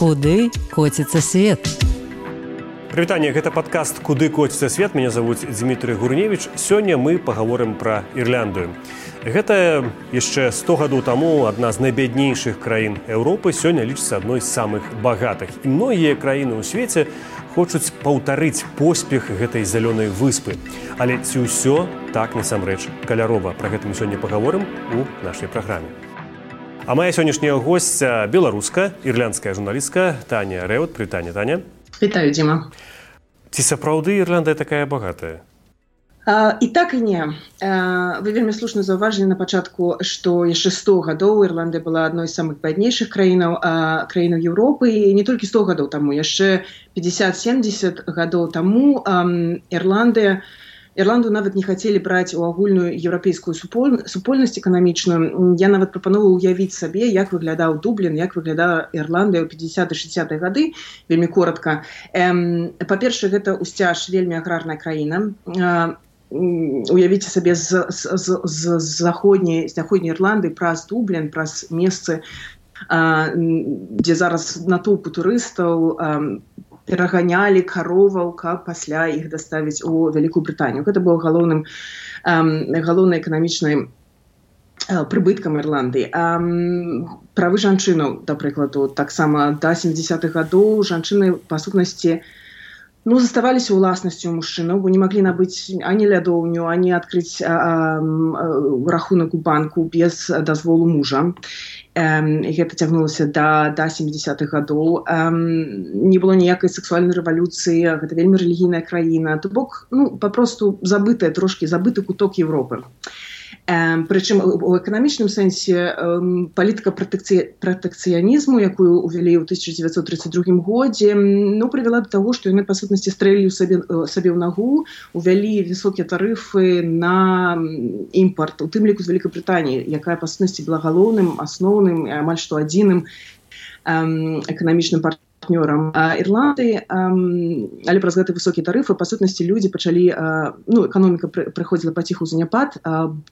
Куды коціцца свет? Прывітанне, гэта падкаст «Куды коціцца свет». Мяне завуць Дмітрый Гурневіч. Сёння мы пагаворым пра Ірландыю. Гэта яшчэ 100 гадоў таму адна з найбяднейшых краін Еўропы сёння лічыцца адной з самых багатых. І многія краіны ў свеце хочуць паўтарыць поспех гэтай зялёнай выспы. Але ці ўсё так насамрэч каляровая? Пра гэта мы сёння пагаворым у нашай праграме. А моя сённяшняя госця беларуска, ірландская журналістка Таня Рэут. Прывітанне, Таня. Вітаю, Дзіма. Ці сапраўды Ірландыя такая багатая? І так і не. Вы вельмі слушна заўважылі на пачатку, што яшчэ 100 гадоў Ірландыя была адной з самых бяднейшых краінаў Еўропы. І не толькі 100 гадоў таму, яшчэ 50-70 гадоў таму Ірландыю нават не хацелі браць у агульную еўрапейскую супольнасць эканамічную. Я нават прапановала ўявіць сабе, як выглядаў Дублін, як выглядала Ірландыя ў 50-60-е гады, вельмі коротка. Па-першае, гэта ўсцяж вельмі аграрная краіна. Уявіце сабе з заходняй Ірландыі праз Дублін, праз месцы, дзе зараз натоўпы турыстаў, пераганялі кароваў, каб пасля іх даставіць у Вялікую Брытанію. Гэта было галоўнай эканамічнай прыбыткам Ірландыі. Правы жанчынаў, да прыкладу, таксама да 70-х гадоў жанчыны, па сутнасці, заставаліся ўласнасцю мужчынаў, бо не маглі набыць ані лядоўню, ані адкрыць рахунак у банку без дазволу мужа. Гэта цягнулася да 70-х гадоў. Не было ніякай сексуальнай рэвалюцыі, гэта вельмі рэлігійная краіна. То бок, папросту забыты куток Еўропы. Прычым у эканамічным сэнсе палітыка пратэкцыянізму, якую ўвялі ў 1932 годзе, прывяла да таго, што яны, па сутнасці, стрэлілі сабе ў нагу, увялі высокія тарыфы на імпарт, у тым ліку з Вялікай Брытаніі, якая, па сутнасці, была галоўным, асноўным, амаль што адзіным эканамічным партнёрам Ірландыі. Але праз гэты высокія тарыфы, па сутнасці, людзі пачалі, эканоміка прыходзіла паціху ў заняпад,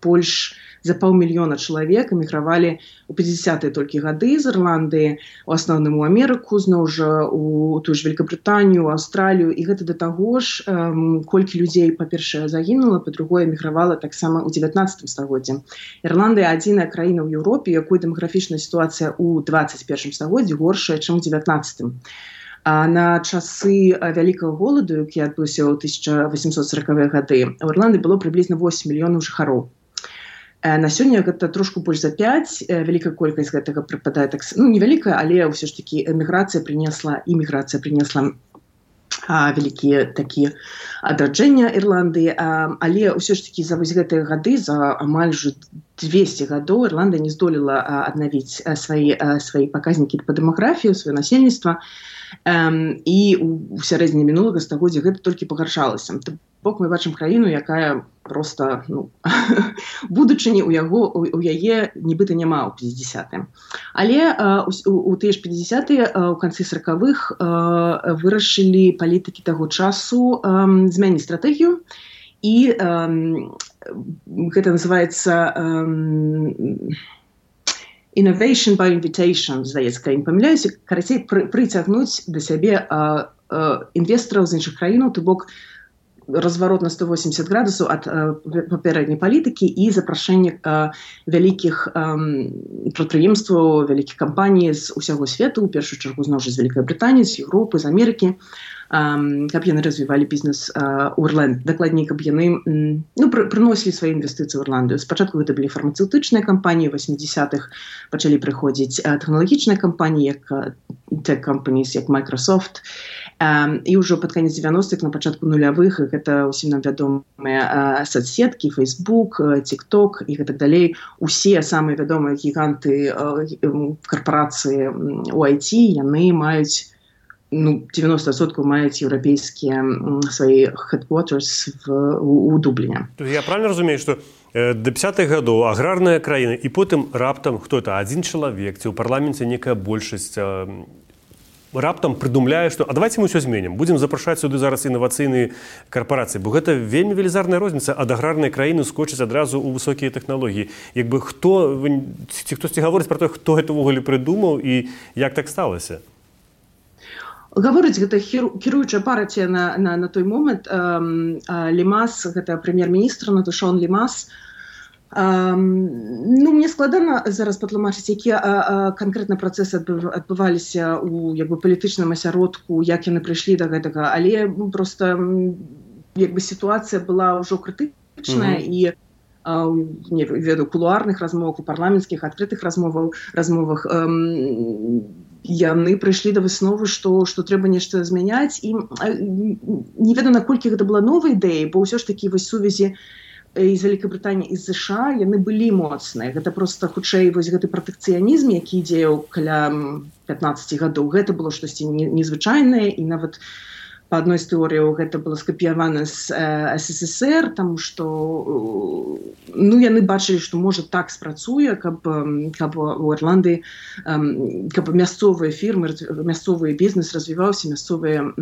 больш за 500 000 чалавек эмігравалі ў 50-е толькі гады з Ірландыі, у асноўным у Амерыку, зноў жа у тую ж Вялікабрытанію, Аўстралію, і гэта да таго ж, колькі людзей, па-першае, загінула, па-другое, эмігравала таксама ў 19 стагоддзі. Ірландыя адзіная краіна ў Еўропе, якой дэмаграфічная сітуацыя ў 21 стагоддзі горшая, чым у 19. На часы вялікага голаду, які адбыўся ў 1840-е гады, у Ірландыі было прыблізна 8 мільёнаў жыхароў. На сёння гэта трошку больш за 5, вялікая колькасць гэтага прыпадае невялікая, але ўсё ж такі іміграцыя прынесла вялікія такія адраджэння Ірландыі, але ўсё ж такі за вось гэтыя гады, за амаль жа 200 гадоў Ірландыя не здолела аднавіць свае паказнікі па дэмаграфіі, сваё насельніцтва, і ў сярэдзіне мінулага стагоддзя гэта толькі пагаршалася. Бок мы бачым краіну, якая проста, будучыні у яе нібыта няма ў 50-е. Але у тыя ж 50-е, у канцы 40-х, вырашылі палітыкі таго часу змяніць стратэгію, і гэта называецца innovation by invitation, здаецца, калі не памыляюся, карацей, прыцягнуць да сябе інвестараў з іншых краінаў, то бок разварот на 180 градусаў ад папярэдняй палітыкі і запрашэнне вялікіх прадпрыемстваў, вялікіх кампаній з усяго свету, у першую чаргу зноў жа з Вялікай Брытаніі, з Еўропы, з Амерыкі, каб яны развівалі бізнес у Ірландыі. Дакладней, каб яны прыносілі свае інвестыцыі ў Ірландыю. Спачатку гэта былі фармацэўтычныя кампаніі, у 80-х пачалі прыходзіць тэхналагічныя кампаніі, як tech companies, як Microsoft, і ўжо пад канец 90-х, на пачатку нулявых, гэта ўсім нам вядомыя соцсеткі, Facebook, TikTok і гэтак далей. Усе самыя вядомыя гіганты карпорацыі у IT, яны маюць 90% маюць еўрапейскія свае headquarters у Дубліне. Я правильно разумею, што до 50-х гадоў аграрная краіна, і потым раптам хто-то, адзін чалавек, ці ў парламенце некая большасць раптам прыдумляе, што давайте мы ўсё зменім, будзем запрашаць сюды зараз інавацыйныя карпорацыі, бо гэта вельмі велізарная розніца ад аграрнай краіны скочыць адразу ў высокія тэхналогіі. Хтосьці гаворыць пра тое, хто гэта ўвогуле прыдумаў і як так сталася? Гаворыць, гэта кіруючая партія на той момант. Лімас, гэта прэм'ер-міністр Натушон Лімас. Мне складана зараз патлумачыць, якія канкрэтна працэсы адбываліся ў палітычным асяродку, як яны прыйшлі да гэтага, але проста сітуацыя была ўжо крытычная і не ведаю, кулуарных размовах, у парламенцкіх адкрытых размовах яны прыйшлі да высновы, што трэба нешта змяняць, і не ведаю, наколькі гэта была новая ідэя, бо ўсё ж такі вось сувязі з Вялікай і з США яны былі моцныя. Гэта проста хутчэй вось гэты пратэкцыянізм, які дзеяў каля 15 гадоў. Гэта было штосьці незвычайнае, і нават па адной з тэорыяў гэта было скапіявана з СССР, таму што яны бачылі, што можа так спрацуе, каб у Ірландыі каб мясцовыя фірмы, мясцовы бізнес развіваўся, мясцовыя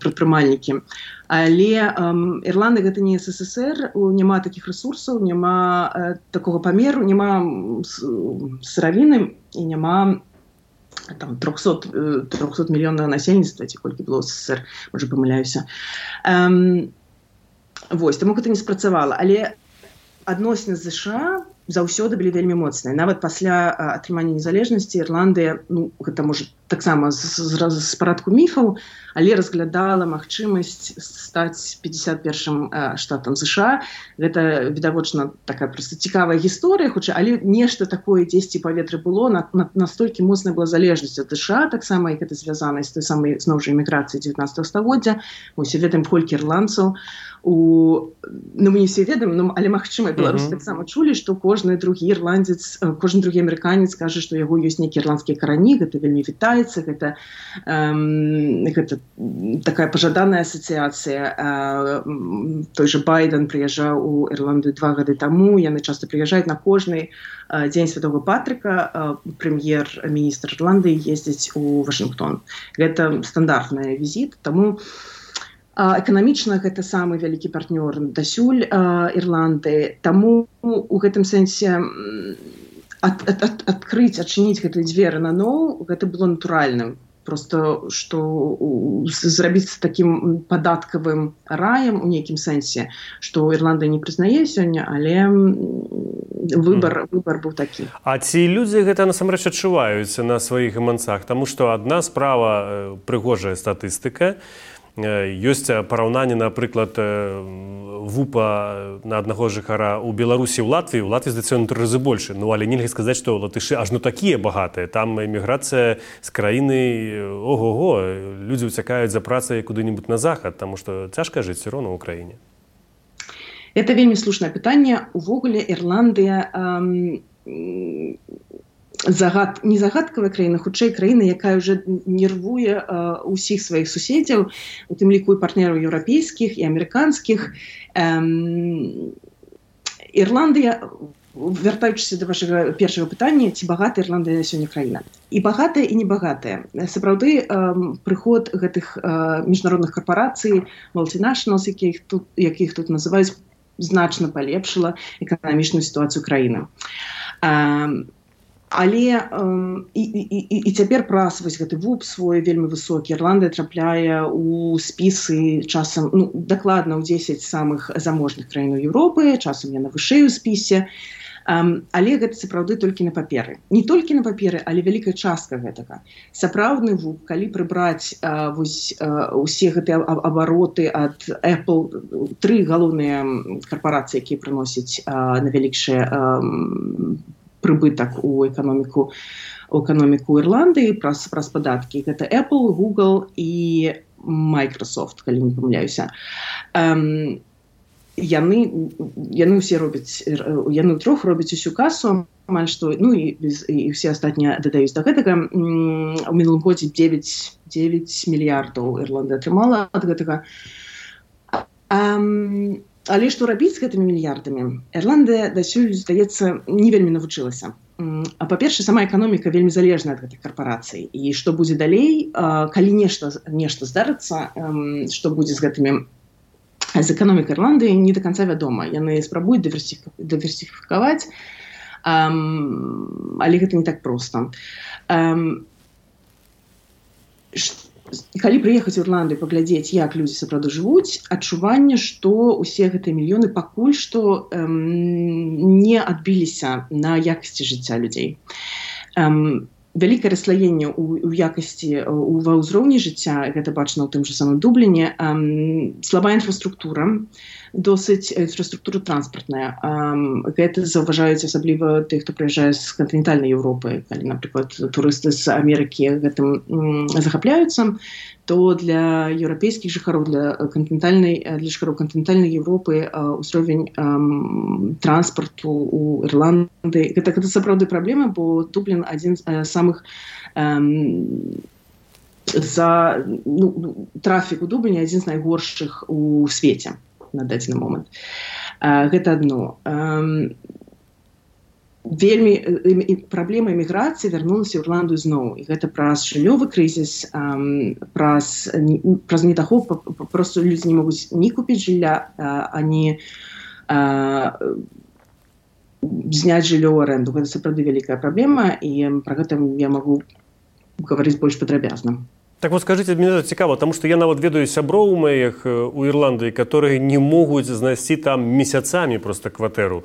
прадпрымальнікі. Але Ірландыя гэта не СССР, няма такіх рэсурсаў, няма такога памеру, няма сыравіны і няма 300 мільёнаў насельніцтва, ці колькі было ў СССР, можа памыляюся. Вось, таму гэта не спрацавала. Але адносіны з США заўсёды былі вельмі моцныя. Нават пасля атрымання незалежнасці Ірландыя, гэта можа таксама з парадку міфаў, але разглядала магчымасць стаць 51-м штатам США. Гэта, відавочна, такая проста цікавая гісторыя, але нешта такое дзесьці паветры было, настолькі моцная была залежнасць ад США, таксама, як гэта звязана з той самай, зноў жа, эміграцыяй 19 стагоддзя. Мы ўсе ведаем, колькі ірландцаў мы не все ведаем, але, магчыма, беларусы таксама чулі, што кожны другі ірландзец, кожны другі амерыканец кажа, што яго ёсць нейкія ірландскія карані, гэта вельмі вітаецца, гэта такая пажаданая асацыяцыя. Той же Байден прыязджаў у Ірландыю 2 гады таму, яны часта прыязджаюць на кожны дзень Святога Патрыка, прэм'ер-міністр Ірландыі ездзіць у Вашынгтон. Гэта стандартны візіт, таму эканамічна гэта самы вялікі партнёр дасюль Ірландыі. Таму у гэтым сэнсе адкрыць, адчыніць гэтыя дзверы наноў, гэта было натуральным. Просто, што зрабіць такім падаткавым раем у нейкім сэнсе, што Ірландыя не прызнае сёння, але выбар быў такі. А ці людзі гэта насамрэч адчуваюць на сваіх гаманцах? Таму што адна справа прыгожая статыстыка, ёсць параўнанне, напрыклад, ВУПа на аднаго жыхара ў Беларусі, ў Латвіі. У Латвіі, здаецца, 3 разы больше. Але нельга сказаць, што латышы ажно такія багатыя. Там эміграцыя з краіны, ого-го, людзі ўцякаюць за працай куды-небудзь на захад, таму што цяжка жыць все роўна ў краіне. Это вельмі слушнае пытанне. Увогуле Ірландыя не загадкавая краіна, хутчэй краіна, якая ўжо нервуе ўсіх сваіх суседзяў, у тым ліку і партнераў еўрапейскіх і амерыканскіх. Ірландыя, вяртаючыся да вашага першага пытання, ці багатая Ірландыя сёння краіна? І багатая, і небагатая. Сапраўды, прыход гэтых міжнародных карпарацый, multinationals, якіх тут называюць, значна палепшыла эканамічную сітуацыю краіны. Але і цяпер праз вось гэты ВУП свой вельмі высокі. Ірландыя трапляе ў спісы часам, дакладна ў 10 самых заможных краін Еўропы, часам яна вышэй у спісе. Але гэта сапраўды толькі на паперы. Не толькі на паперы, але вялікая частка гэтага. Сапраўдны ВУП, калі прыбраць усе гэтыя абароты ад Apple, 3 галоўныя карпарацыі, якія прыносяць найвялікшыя прыбытак у эканоміку Ірландыі праз падаткі. Гэта Apple, Google і Microsoft, калі не памыляюся. Яны ўсе робяць, яны ўтрох робяць усю касу, амаль што, і ўсе астатнія дадаюць да гэтага. У мінулым годзе 9 мільярдаў Ірландыя атрымала ад гэтага. Але што рабіць з гэтымі мільярдамі? Ірландыя дасюль, здаецца, не вельмі навучылася. Па-першае, сама эканоміка вельмі залежная ад гэтых карпарацый. І што будзе далей, калі нешта здарыцца, што будзе з эканомікай Ірландыі, не да канца вядома. Яны спрабуюць дыверсіфікаваць, але гэта не так проста. калі прыехаць у Ірландыю паглядзець, як людзі сапраўды жывуць, адчуванне, што ўсе гэтыя мільёны пакуль што не адбіліся на якасці жыцця людзей. Вялікае расслаенне ў якасці ва ўзроўні жыцця, гэта бачна ў тым жа самым Дубліне, слабая інфраструктура, досыць інфраструктура транспартная. Гэта заўважаюць асабліва тых, хто прыязджае з кантынентальнай Еўропы. Калі, напрыклад, турысты з Амерыкі гэтым захапляюцца, то для еўрапейскіх жыхароў, для жыхароў кантынентальнай Еўропы ўзровень транспарту ў Ірландыі гэта сапраўды праблема, бо Дублін адзін з самых трафік у Дубліне адзін з найгоршых у свеце на дадзены момант. Гэта адно. Вельмі праблема эміграцыі вярнулася ў Ірландыю зноў. І гэта праз жыллёвы крызіс, праз недахоп, проста людзі не могуць ні купіць жылля, ані зняць жыллё ў арэнду. Гэта сапраўды вялікая праблема, і пра гэта я магу гаварыць больш падрабязна. Так вот скажите, мне цікаво, тому что я нават ведаю сяброў моих у Ірландыі, которые не могуць знайсці там месяцамі просто кватэру.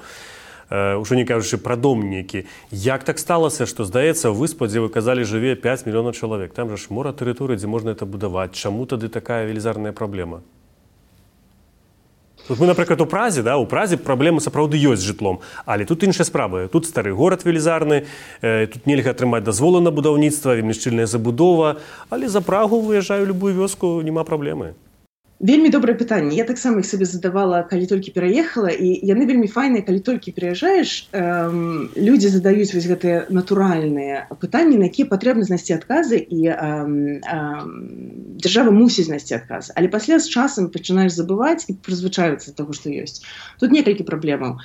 Ужо не кажучы пра дом нейкі. Як так сталася, што, здаецца, выспа, дзе вы казалі, жыве 5 мільёнаў чалавек? Там жа ж мора тэрыторыі, дзе можна это будаваць. Чаму тады такая велізарная праблема? Тут мы, напрыклад, у Празе праблемы сапраўды ёсць з жытлом, але тут іншая справа. Тут стары горад велізарны, тут нельга атрымаць дазволы на будаўніцтва, вельмі шчыльная забудова, але за Прагу выязджаю любую вёску, няма праблемы. Вельмі добрае пытанне. Я таксама іх сабе задавала, калі толькі пераехала, і яны вельмі файныя, калі толькі пераязджаеш, людзі задаюць вось гэтыя натуральныя пытанні, на якія патрэбна знайсці адказы, і дзяржава мусіць знайсці адказы. Але пасля з часам пачынаеш забываць і прызвычаюцца да таго, што ёсць. Тут некалькі праблемаў.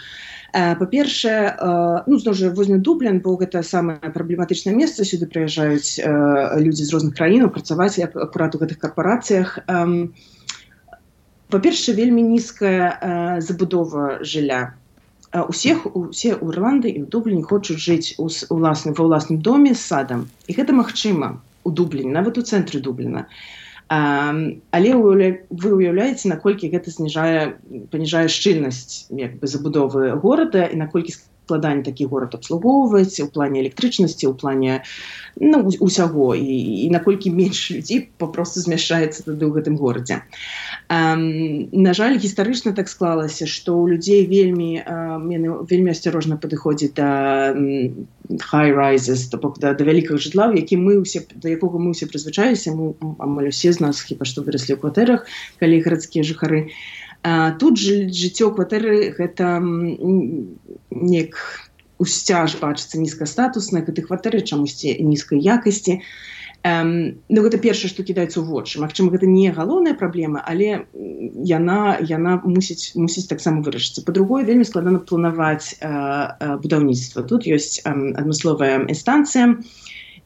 Па-першае, зноў жа, возьмем Дублін, бо гэта самае праблематычнае месца, сюды прыязджаюць людзі з розных краінаў працаваць акурат у гэтых карпорацыях. Па-першае, вельмі нізкая забудова жылля. Усе ў Ірландыі і ў Дубліні хочуць жыць ва ўласным доме з садам. І гэта магчыма у Дубліні, нават у цэнтры Дубліна. Але вы уяўляеце, наколькі гэта паніжае шчыльнасць забудовы горада і наколькі складанне такі горад абслугоўваць у плане электрычнасці, у плане усяго, і наколькі менш людзей папросту змяшчаецца тады ў гэтым горадзе. На жаль, гістарычна так склалася, што ў людзей вельмі асцярожна падыходзіць да high-rises, то бок да вялікага жытла, да якога мы ўсе прызвычаіліся, амаль усе з нас хіба што выраслі ў кватэрах, калі гарадскія жыхары. Тут жыццё кватэры гэта неяк усцяж бачыцца нізкастатуснае, гэтай кватэры чамусьці нізкай якасці. Гэта першае, што кідаецца ў вочы. Магчыма, гэта не галоўная праблема, але яна мусіць таксама вырашыцца. Па-другое, вельмі складана планаваць будаўніцтва. Тут ёсць адмысловая інстанцыя,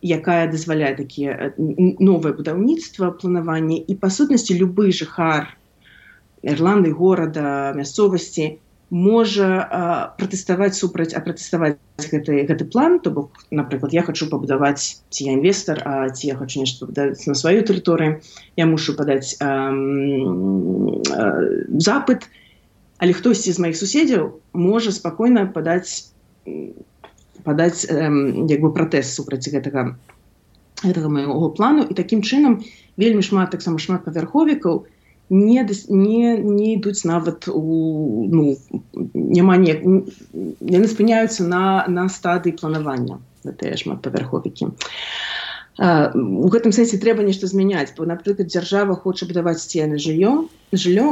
якая дазваляе такія новае будаўніцтва, планаванне, і па сутнасці любы жыхар Ірландыі, горада, мясцовасці можа пратэставаць гэты план, то бок, напрыклад, я хачу пабудаваць, ці я інвестар, ці я хачу нешта пабудаваць на сваёй тэрыторыі, я мушу падаць запыт, але хтосьці з маіх суседзяў можа спакойна падаць пратэст супраць гэтага майго плану, і такім чынам вельмі шмат павярховікаў не ідуць нават яны спыняюцца на стадыі планавання, гэтыя шматпавярховікі. У гэтым сэнсе трэба нешта змяняць, бо, напрыклад, дзяржава хоча будаваць сцены жыллё,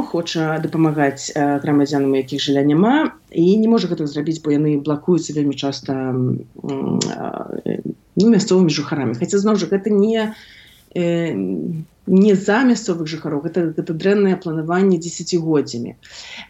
хоча дапамагаць грамадзянам, у якіх жылля няма, і не можа гэта зрабіць, бо яны блакуюцца вельмі часта мясцовымі жыхарамі. Хаця, зноў жа, гэта не за мясцовых жыхароў, гэта дрэннае планаванне дзесяцігоддзямі.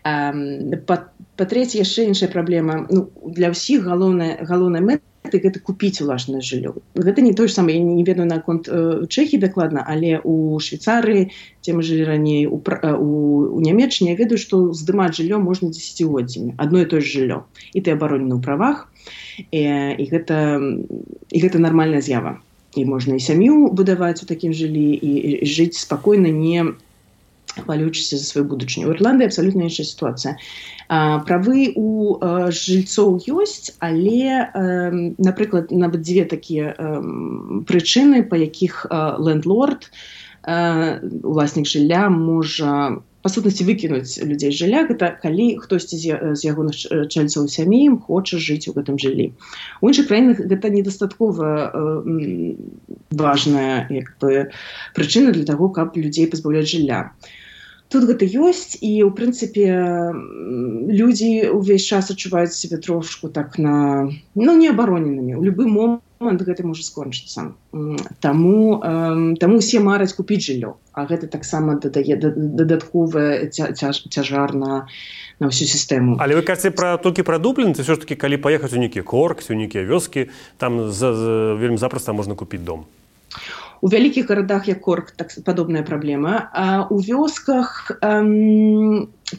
Па-трэцяе, яшчэ іншая праблема. Для ўсіх галоўная мэта гэта купіць уласнае жыллё. Гэта не тое ж самае, я не ведаю наконт Чэхіі дакладна, але у Швейцарыі, дзе мы жылі раней, у Нямецчыне, я ведаю, што здымаць жыллё можна дзесяцігоддзямі. Адно і тое ж жыллё. І ты абаронены ў правах, і гэта нармальная з'ява. і можна і сям'ю будаваць у такім жыллі і жыць спакойна, не хвалюючыся за сваю будучыню. У Ірландыі абсалютна іншая сітуацыя. Правы у жыльцоў ёсць, але, напрыклад, нават дзве такія прычыны, па якіх лендлорд, уласнік жылля, можа па сутнасці выкінуць людзей з жылля, гэта калі хтосьці з ягоных чальцоў сям'і хоча жыць у гэтым жыллі. У іншых краінах гэта недастаткова важная прычына для таго, каб людзей пазбаўляць жылля. Тут гэта ёсць, і, ў прынцыпе, людзі ўвесь час адчуваюць сябе трошку так неабароненымі. У любы момант гэта можа скончыцца. Таму усе мараць купіць жыллё, а гэта таксама дадае дадатковы цяжар на ўсю сістэму. Але вы кажаце толькі пра Дублін, ці ўсё ж такі, калі паехаць у нейкі Корк, у нейкія вёскі, там вельмі запроста можна купіць дом? У вялікіх гарадах, як Корк, так падобная праблема. А у вёсках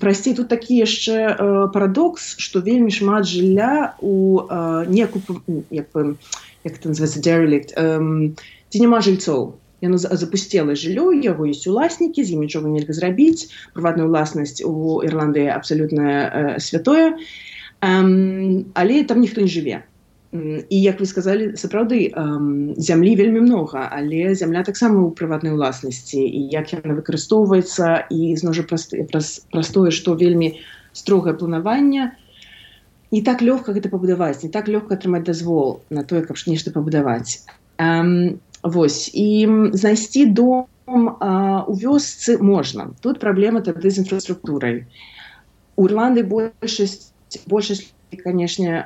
прасцей. Тут такі яшчэ парадокс, што вельмі шмат жылля у як это называецца, derelict, ці няма жильцоў. Яно запусцела жыллё, яго ёсць уласнікі, з ім нічога нельга зрабіць. Прыватная ўласнасць у Ірландыі абсалютна святое, але там ніхто не жыве. І, як вы сказалі, сапраўды, зямлі вельмі многа, але зямля таксама ў прыватнай уласнасці. І як яна выкарыстоўваецца, і зноў жа простое, што вельмі строгае планаванне. Не так лёгка гэта пабудаваць, не так лёгка атрымаць дазвол на тое, каб нешта пабудаваць. Вось. І знайсці дом у вёсцы можна. Тут праблема тады з інфраструктурай. У Ірландыі большасць конечно,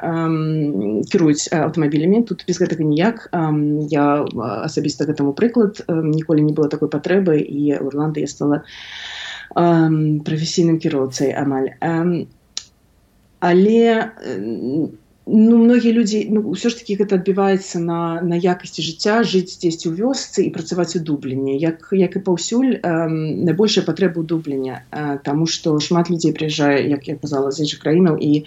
кіруюць аўтамабілямі, тут без гэтага ніяк. Я асабіста гэтаму прыклад, ніколі не было такой патрэбы, і ў Ірландыі я стала прафесійным кіроўцай амаль. Але многія людзі, ўсё ж такі гэта адбіваецца на якасці жыцця, жыць дзесьці ў вёсцы і працаваць у Дубліне. Як і паўсюль, найбольшая патрэба ў Дубліне, таму што шмат людзей прыязджае, як я казала, з іншых краінаў, і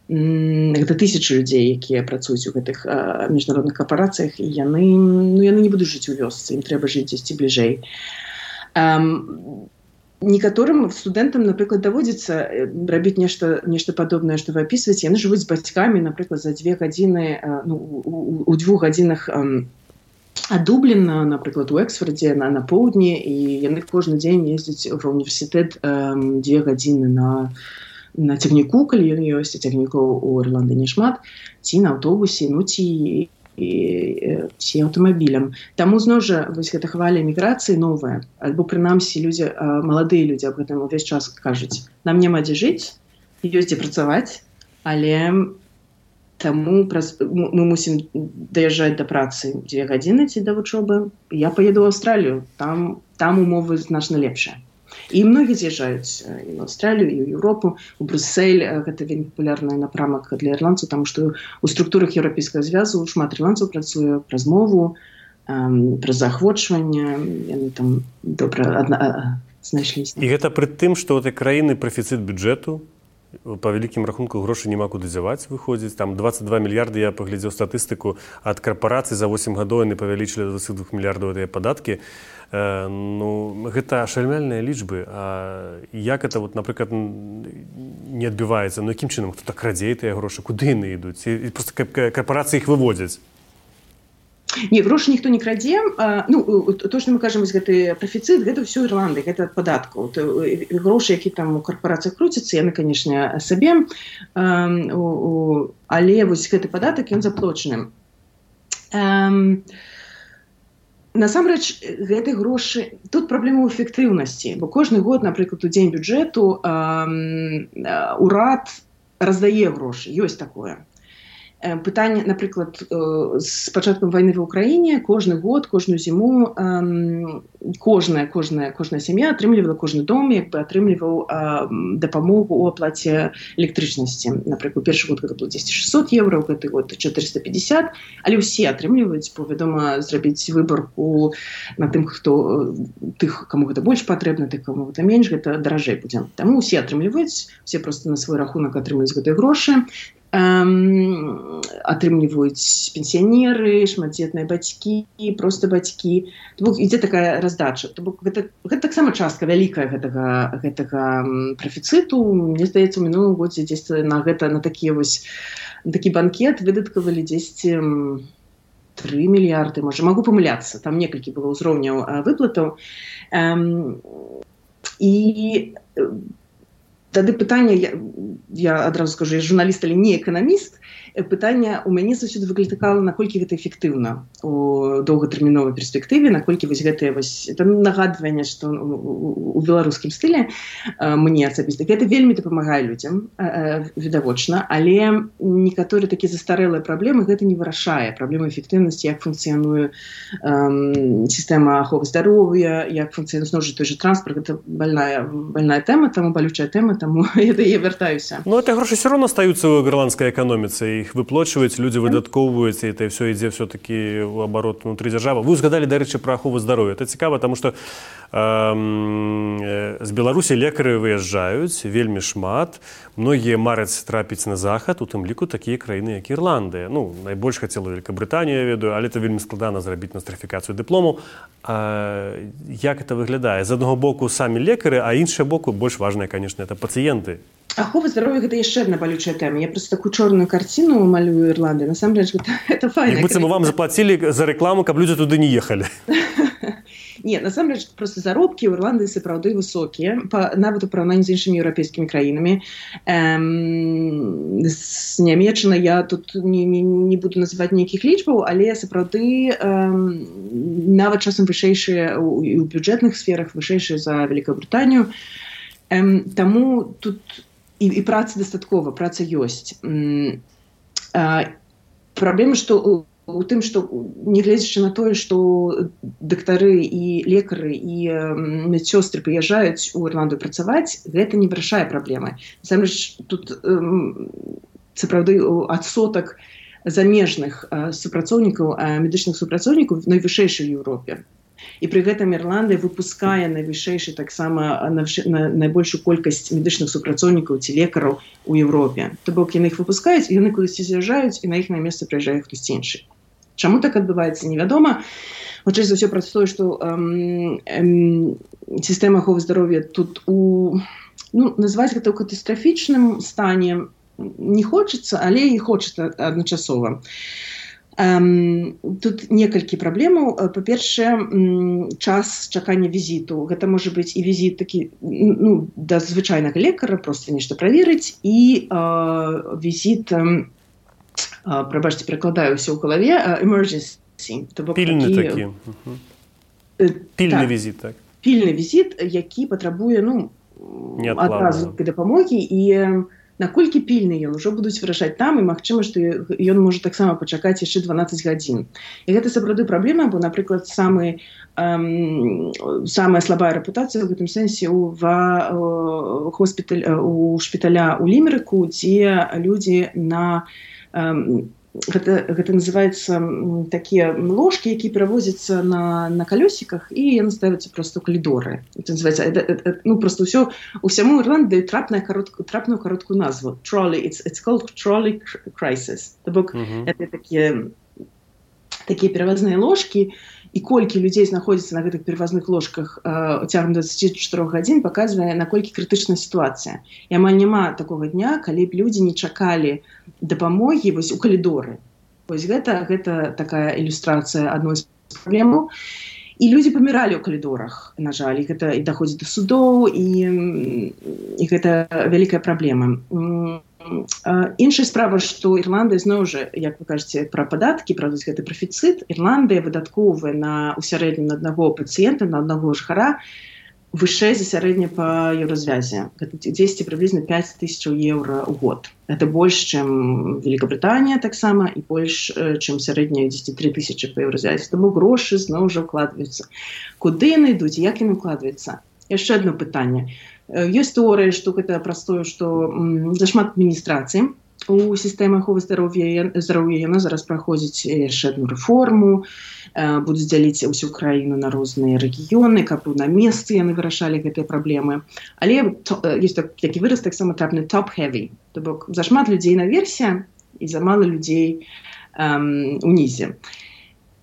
гэта тысячы людзей, якія працуюць у гэтых міжнародных карпорацыях, і яны не будуць жыць у вёсцы, ім трэба жыць дзесьці бліжэй. Некаторым студэнтам, напрыклад, даводзіцца рабіць нешта падобнае, што вы апісваеце. Яны жывуць з бацькамі, напрыклад, за 2 гадзіны, у 2 гадзінах ад Дубліна, напрыклад, у Эксфордзе на поўдні, і яны кожны дзень ездзяць ва ўніверсітэт 2 гадзіны на цягніку, калі ён ёсць, цягнікоў у Ірландыі няшмат, ці на аўтобусе, ці аўтамабілем. Таму зноў жа вось гэта хваля эміграцыі новая, альбо прынамсі маладыя людзі аб гэтым увесь час кажуць. Нам няма дзе жыць, ёсць дзе працаваць, але таму мы мусім даязджаць да працы 2 гадзіны ці да вучобы. Я паеду ў Аўстралію, там умовы значна лепшыя. І многія з'язджаюць і в Аўстралію, і ў Еўропу, у Брюссель. Гэта вельмі папулярны напрамак для ірландцаў, таму што у структурах Еўрапейскага звязу шмат ірландцаў працуе праз мову, праз заахвочванне, яны там добра знайшліся. І гэта пры тым, што ў гэтай краіны прафіцыт бюджэту, па вялікім рахунку грошай няма куды дзяваць, выходзіць. Там 22 мільярды, я паглядзеў статыстыку, ад карпорацый за 8 гадоў яны павялічылі до 22 мільярдаў гэтыя падаткі. Гэта шальмяльныя лічбы. Як гэта, напрыклад, не адбіваецца? Якім чынам? Хто так крадзе тыя грошы? Куды яны ідуць? І проста карпорацыі іх выводзяць? Не, грошы ніхто не крадзе. То, што мы кажам, гэты прафіцыт, гэта ўсё Ірландыя, гэта ад падаткаў. Грошы, які там у карпорацыях круцяцца, яны, канешне, сабе, але вось гэты падатак, ён заплочаны. Насамрэч, гэты грошы... Тут праблема ў эфектыўнасці, бо кожны год, напрыклад, у дзень бюджэту урад раздае грошы, ёсць такое. Пытанне, напрыклад, з пачаткам вайны ва ўкраіне кожны год, кожную зіму кожная сям'я атрымлівала, кожны дом атрымліваў дапамогу ў аплаце электрычнасці. Напрыклад, першы год гэта было 600 евро, гэты год 450, але ўсе атрымліваюць, бо, вядома, зрабіць выбарку на тых, каму гэта больш патрэбна, тых, каму гэта менш, гэта даражэй будзе. Таму ўсе атрымліваюць, усе проста на свой рахунак атрымліваюць гэтыя грошы. атрымліваюць пенсіянеры, шматдзетныя бацькі, проста бацькі. То бок ідзе такая раздача. То бок гэта таксама частка вялікая гэтага прафіцыту. Мне здаецца, у мінулым годзе дзесьці на такі банкет выдаткавалі дзесьці 3 мільярды, можа, магу памыляцца, там некалькі было ўзроўняў выплатаў. І тады пытанне, я адразу скажу, я журналіст, але не эканаміст, пытанне у мяне заўсёды выклікала, наколькі гэта эфектыўна у доўгатэрміновай перспектыве, наколькі гэтае это нагадванне, што у беларускім стылі мне асабіста гэта вельмі дапамагае людзям, відавочна, але некаторыя такія застарэлыя праблемы гэта не вырашае. Праблема эфектыўнасці, як функцыянуе сістэма аховы здароўя, як функцыянуе зноў жа той жа транспарт, гэта больная тэма, таму балючая тэма, таму я да яе вяртаюся. Ну, это грошы все равно остаются ў ірландскай эканоміцы, іх выплачваюць, людзі выдаткоўваюць, і это все ідзе все-таки ў абарот внутры дзяржавы. Вы узгадалі, дарэчы, пра ахову здароўя. Это цікава, таму што з Беларусі лекары выязджаюць вельмі шмат, многія мараць трапіць на захад, у тым ліку такія краіны, як Ірландыя. Ну, найбольш хацела Вялікабрытанію, я ведаю, але это вельмі складана зрабіць нострыфікацыю дыплому. Як это выглядае? З аднаго боку самі лекары, а іншага боку больш важнае, конечно, это пацыенты. Ахова здароўя гэта яшчэ адна балючая тэма. Я просто такую чорную карціну малюю Ірландыі. Насамрэч, гэта файна. Як быццам вам заплацілі за рэкламу, каб людзі туды не ехалі. Не, насамрэч, просто заробкі ў Ірландыі сапраўды высокія, нават у параўнанні з іншымі еўрапейскімі краінамі. З Нямеччыны я тут не буду называць нейкіх лічбаў, але сапраўды нават часам вышэйшыя і ў бюджэтных сферах, вышэйшыя за Вялікабрытанію. Таму тут і праца дастаткова, праца ёсць. Праблема, што у тым, што нягледзячы на тое, што дактары і лекары і медсёстры прыязджаюць у Ірландыю працаваць, гэта не вырашае праблемы. Насамрэч, тут сапраўды адсотак замежных супрацоўнікаў, медычных супрацоўнікаў найвышэйшы ў Еўропе. І пры гэтым Ірландыя выпускае найвышэйшы таксама найбольшую колькасць медычных супрацоўнікаў ці лекараў у Еўропе. То бок яны іх выпускаюць, яны кудысьці з'язджаюць, і на іх месца прыязджае хтосьці іншы. Чаму так адбываецца, невядома. Хутчэй за ўсё праз тое, што сістэма аховы здароўя тут назваць гэта ў катастрафічным стане не хочацца, але і хочацца адначасова. Тут некалькі праблемаў. Па-першае, час чакання візіту. Гэта можа быць і візіт такі, да звычайнага лекара, проста нешта праверыць, і візіт, прабачце, перакладаю ўсё ў галаве, emergency. Пільны такі. Пільны візіт, так. Пільны візіт, які патрабуе, адразу дапамогі, і наколькі пільны ён, ужо будуць вырашаць там, і магчыма, што ён можа таксама пачакаць яшчэ 12 гадзін. І гэта сапраўды праблема, бо, напрыклад, самая слабая рэпутацыя ў гэтым сэнсе у шпіталя ў Лімерыку, дзе людзі на... Гэта называецца такія ложкі, якія перавозяцца на калёсіках, і яны ставяцца проста ў калідоры. Это называецца, проста усяму Ірландыі трапную кароткую назву. Trolley, it's called trolley crisis. То бок, это такія перавазныя ложкі, і колькі людзей знаходзіцца на гэтых перавазных ложках цягам 24 гадзін, паказвае, наколькі крытычная сітуацыя. І амаль няма такога дня, калі б людзі не чакалі дапамогі вось у калідоры. Вось гэта такая ілюстрацыя адной з праблемаў. І людзі паміралі ў калідорах, на жаль, і гэта і даходзіць да судоў, і гэта вялікая праблема. Іншая справа, што Ірландыя, зноў жа, як вы кажаце, пра падаткі, пра гэты прафіцыт, Ірландыя выдаткоўвае ў сярэднім на аднаго пацыента, на аднаго жыхара вышэй за сярэдне па еўразвязе. Гэта 10 прыблізна 5000 еўра ў год. Гэта больш, чым Великабрытанія таксама, і больш, чым сярэдняя 10-3 тысячы па еўразвязе. Таму грошы зноў жа ўкладваюцца. Куды яны ідуць, як яны ўкладваюцца? Яшчэ одно пытанне. Ёсць тэорыя, што гэта праз тое, што зашмат адміністрацыі, у сістэмы аховы здароўя яна зараз праходзіць яшчэ одну рэформу, будуць дзяліць усю краіну на розныя рэгіёны, каб на месцы яны вырашалі гэтыя праблемы. Але ёсць такі выраз таксама трапны top-heavy, то бок зашмат людзей наверсе і замала людзей унізе.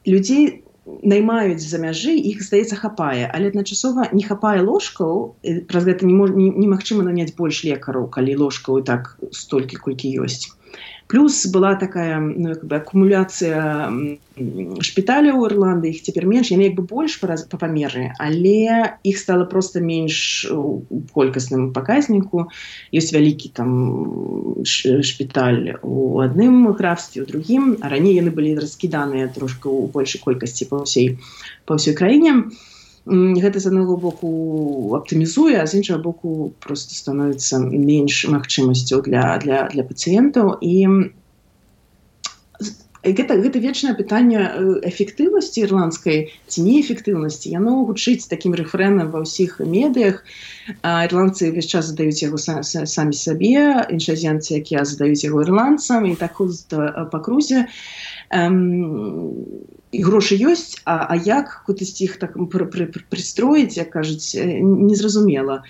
Людзей наймаюць за мяжы, іх, здаецца, хапае, але адначасова не хапае ложкаў, праз гэта немагчыма наняць больш лекараў, калі ложкаў і так столькі, колькі ёсць. Плюс была такая акумуляцыя шпіталяў у Ірландыі, іх цяпер менш, яны больш па памеры, але іх стала проста менш у колькасным паказніку. Ёсць вялікі там шпіталь у адным графстве, у другім, а раней яны былі раскіданыя трошки у большай колькасці па ўсёй краіне. Гэта з аднаго боку аптымізуе, а з іншага боку просто становіцца менш магчымасцяў для пацыентаў. І гэта вечнае пытанне эфектыўнасці ірландскай ці неэфектыўнасці. Яно гучыць такім рэфрэнам ва ўсіх медыях. Ірландцы ўвесь час задаюць яго самі сабе, іншаземцы, якія задаюць яго ірландцам, і так ходзіць па крузе. І грошы ёсць, а як кудысьці іх так прыстроіць, як кажуць, незразумела.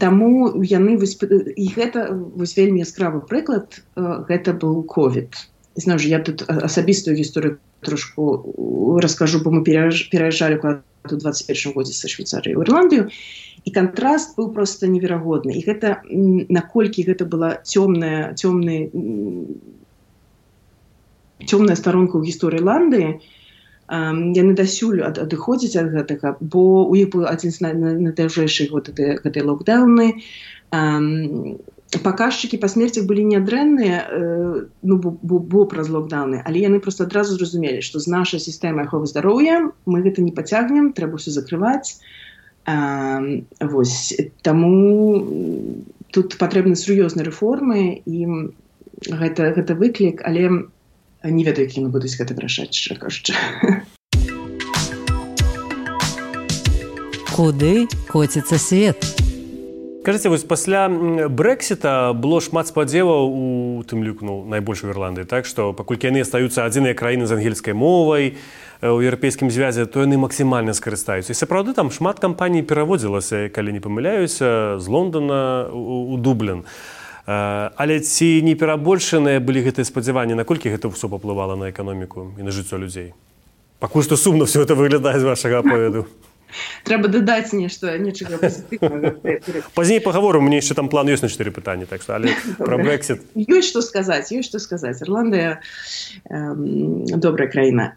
Таму яны, і гэта вельмі яскравы прыклад, гэта быў ковід. Зноў жа, я тут асабістую гісторыю трошку раскажу, бо мы пераязджалі у 21 годзе са Швейцарыі ў Ірландыю, і кантраст быў проста неверагодны. І гэта, наколькі гэта была цёмная старонка ў гісторыі Ірландыі, яны дасюль адыходзяць ад гэтага, бо у іх быў адзін з найдаўжэйшых гэтай локдаўны. Паказчыкі па смерцях былі нядрэнныя, бо праз локдаўны, але яны проста адразу зразумелі, што з нашай сістэмай аховы здароўя мы гэта не пацягнем, трэба ўсё закрываць. Таму тут патрэбны сур'ёзныя рэформы, і гэта выклік, але не ведаю, як яны будуць гэта вырашаць, шчыра кажучы. Куды коціцца свет? Кажыце, вось пасля Брэксіта было шмат спадзеваў у тым ліку, найбольш у Ірландыі, так што паколькі яны астаюцца адзіныя краіны з ангельскай мовай у еўрапейскім звязе, то яны максімальна скарыстаюцца. І сапраўды там шмат кампаній пераводзілася, калі не памыляюся, з Лондона у Дублін. Але ці не перабольшаныя былі гэтыя спадзяванні, наколькі гэта ўсё паплывала на эканоміку і на жыццё людзей? Пакуль што сумна ўсё гэта выглядае з вашага аповеду. Трэба дадаць нечага пазітыўнага. Пазней паговорым, мне яшчэ там план ёсць на 4 пытанні, так што, але пра Брэксіт. Ёсць што сказаць. Ірландыя добрая краіна.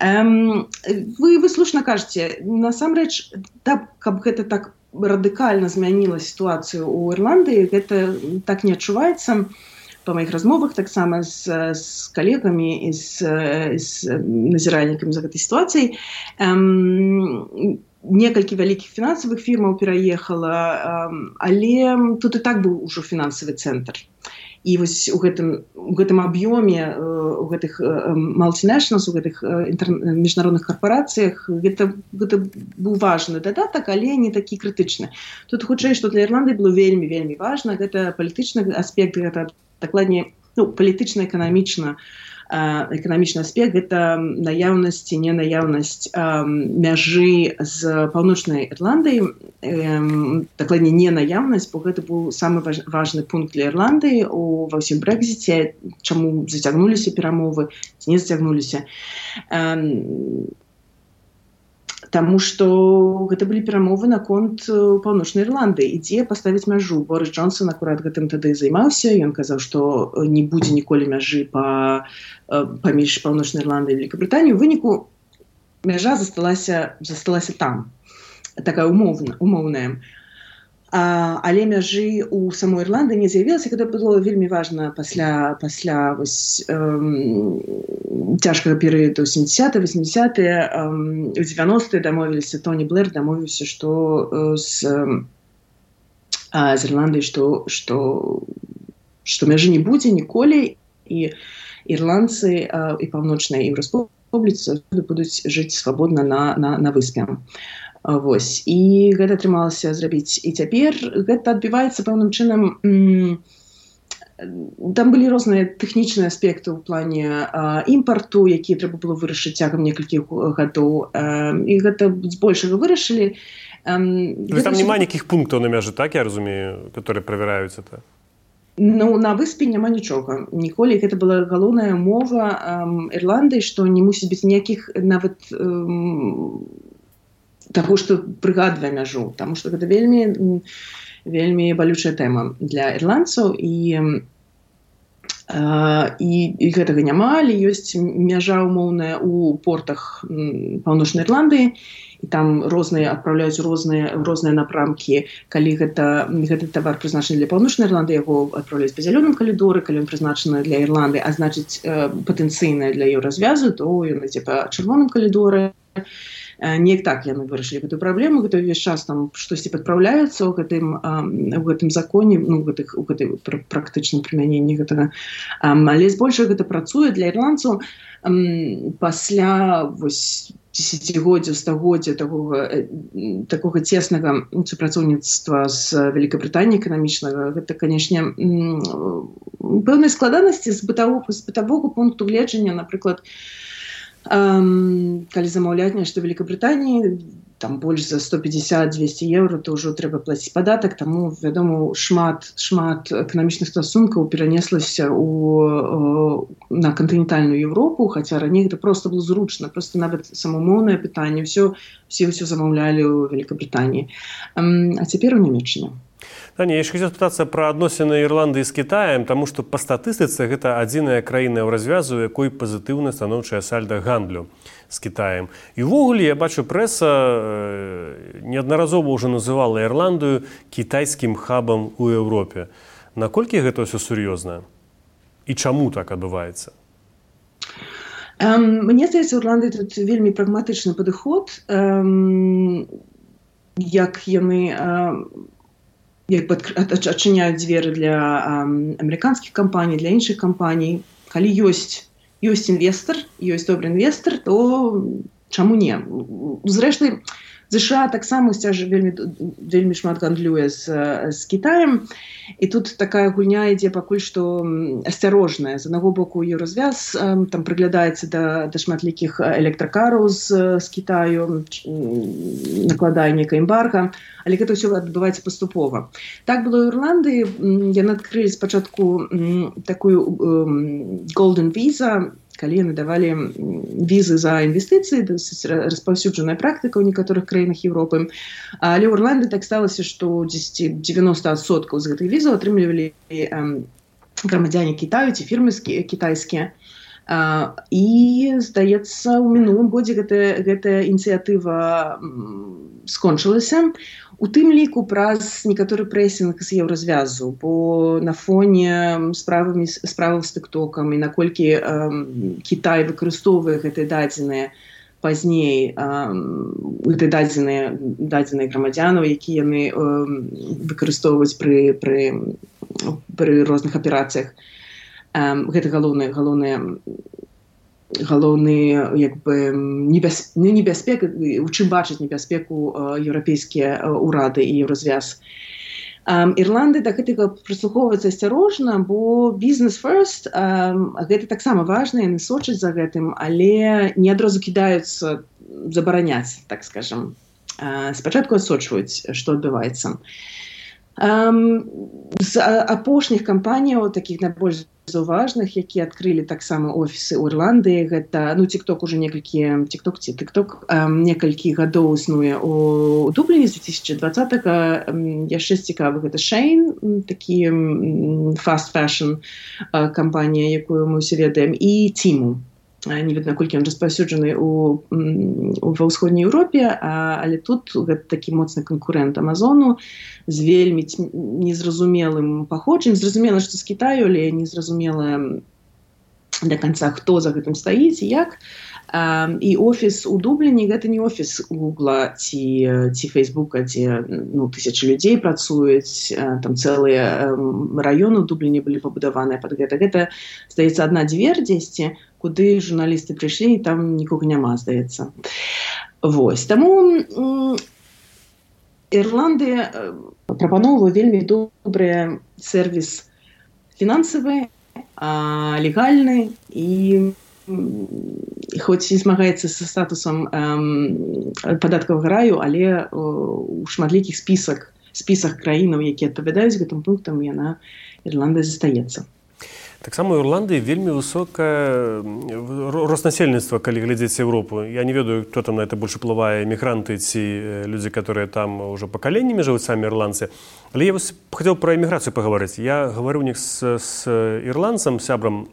Вы слушна кажаце, насамрэч, каб гэта так радыкальна змяніла сітуацыю ў Ірландыі, гэта так не адчуваецца. Па маіх размовах таксама з калегамі і з назіральнікамі за гэтай сітуацыяй. Некалькі вялікіх фінансавых фірмаў пераехала, але тут і так быў ужо фінансавы цэнтр. І вось у гэтым аб'ёме, у гэтых multinationals, у гэтых міжнародных карпорацыях гэта быў важны дадатак, але не такі крытычны. Тут хутчэй, што для Ірландыі было вельмі важна, гэта палітычны аспект, гэта дакладней палітычна-эканамічны аспект, гэта наяўнасць ці ненаяўнасць мяжы з паўночнай Ірландыі, дакладней ненаяўнасць, бо гэта быў самы важны пункт для Ірландыі ва ўсім Брэкзіце, чаму зацягнуліся перамовы, ці не зацягнуліся. Таму што гэта былі перамовы наконт паўночнай Ірландыі, ідзе паставіць мяжу. Борыс Джонсон акурат гэтым тады займаўся, ён казаў, што не будзе ніколі мяжы паміж паўночнай Ірландыі і Вялікабрытаніяй. У выніку мяжа засталася там, такая умоўная. Але мяжы ў самой Ірландыі не з'явілася, гэта было вельмі важна пасля цяжкага перыяду 70-80-е, у 90-е дамовіліся, Тоні Блэр дамовіўся, што з Ірландыі, што мяжы не будзе ніколі, і ірландцы і паўночнай Еўраспубліцы будуць жыць свабодна на выспе. І гэта атрымалася зрабіць. І цяпер гэта адбіваецца пэўным чынам там былі розныя тэхнічныя аспекты ў плане імпарту, якія трэба было вырашыць цягам некалькіх гадоў, і гэта збольшага вырашылі. Там няма нейкіх пунктаў на мяжы, так я разумею, которые правяраюцца то? Ну, на выспе няма нічога. Ніколі гэта была галоўная мова Ірландыі, што не мусіць быць ніякіх нават таго, што прыгадвае мяжу, таму што гэта вельмі балючая тэма для ірландцаў, і гэтага няма, але ёсць мяжа умоўная ў портах Паўночнай Ірландыі, і там адпраўляюць розныя напрамкі. Калі гэты тавар прызначаны для Паўночнай Ірландыі, яго адпраўляюць па зялёным калідоры, калі ён прызначаны для Ірландыі, а значыць патэнцыйнае для еўразвязу, то ён ідзе па чырвоным калідоры. Неяк так яны вырашылі гэтую праблему, гэта ўвесь час там штосьці падпраўляецца ў гэтым законе, у гэтай практычным прымяненні гэтага. Але збольшага гэта працуе для ірландцаў пасля дзесяцігоддзя, стагоддзя такога цеснага супрацоўніцтва з Вялікабрытаніяй эканамічнага. Гэта, канешне, пэўныя складанасці з бытавога пункту гледжання, напрыклад, калі замаўляць нешта Вялікабрытаніі, там больш за 150-200 еўра, то ўжо трэба плаціць падатак, таму, вядома, шмат эканамічных стасункаў перанеслася на кантынентальную Еўропу, хаця раней гэта проста было зручна, проста нават самамоўнае пытанне, ўсё замаўлялі ў Вялікабрытаніі. А цяпер у Нямецчыне. Таня, я яшчэ хацеў спытацца пра адносіны Ірландыі з Кітаем, таму што па статыстыцы гэта адзіная краіна ў развязу, у якой пазітыўна станоўчая сальда гандлю з Кітаем. І ўвогуле, я бачу, прэса неаднаразова ўжо называла Ірландыю кітайскім хабам у Еўропе. Наколькі гэта ўсё сур'ёзна? І чаму так адбываецца? Мне здаецца, у Ірландыі тут вельмі прагматычны падыход, як яны адчыняюць дзверы для амерыканскіх кампаній, для іншых кампаній. Калі ёсць інвестар, ёсць добры інвестар, то чаму не? Зрэшты, США таксама вельмі шмат гандлюе з Кітаем, і тут такая гульня ідзе пакуль што асцярожная. З аднаго боку, еўразвяз там прыглядаецца да шматлікіх электракараў з Кітаю, накладае нейкае эмбарга, але гэта ўсё адбываецца паступова. Так было ў Ірландыі. Яны адкрылі спачатку такую golden visa, калі яны давалі візы за інвестыцыі, распаўсюджаная практыка ў некаторых краінах Еўропы. Але ў Ірландыі так сталася, што 90% з гэтых візаў атрымлівалі грамадзяне Кітаю ці фірмы кітайскія. І, здаецца, у мінулым годзе гэтая ініцыятыва скончылася. У тым ліку праз некаторы прэсінг з еўразвязу, бо на фоне справаў з тыктокам і наколькі Кітай выкарыстоўвае гэтыя дадзеныя пазней, дадзеныя грамадзянаў, якія яны выкарыстоўваюць пры розных аперацыях. Гэта галоўны небяспека, у чым бачаць небяспеку еўрапейскія ўрады і еўразвяз. Ірландыя да гэтага прыслухоўваецца асцярожна, бо бізнес first, гэта таксама важна, яны сочаць за гэтым, але не адразу кідаюцца забараняць, так скажам. Спачатку адсочваюць, што адбываецца. З апошніх кампаніяў, такіх найбольш заўважных, якія адкрылі таксама офісы ў Ірландыі, гэта, TikTok уже некалькі гадоў існуе ў Дубліне з 2020-га. Яшчэ цікавы гэта Shein, такі fast fashion кампанія, якую мы ўсе ведаем, і Тиму. Не ведаю, наколькі ён распаўсюджаны ва ўсходняй Еўропе, але тут гэта такі моцны канкурэнт Амазону з вельмі незразумелым паходжаннем. Зразумела, што з Кітаю, але незразумела да канца, хто за гэтым стаіць і як. І офіс у Дубліне гэта не офіс Гугла ці Фейсбука, дзе тысячы людзей працуюць, там цэлыя раёны ў Дубліне былі пабудаваныя пад гэта. Гэта, здаецца, адна дзвер дзесьці, куды журналісты прыйшлі, і там нікога няма, здаецца. Вось. Таму Ірландыя прапаноўвае вельмі добры сервіс фінансавы, легальны і хоць і змагаецца са статусам падаткавага раю, але у шматлікіх спісах краінаў, якія адпавядаюць гэтым пунктам, Ірландыя застаецца. Таксама ў Ірландыі вельмі высокае рост насельніцтва, калі глядзець Еўропу. Я не ведаю, хто там на это больш уплывае, эмігранты ці людзі, которые там ўжо пакаленнямі жывуць, самі ірландцы. Але я хацеў пра эміграцыю пагаварыць. Я гаварыў з ірландцам, сябрам,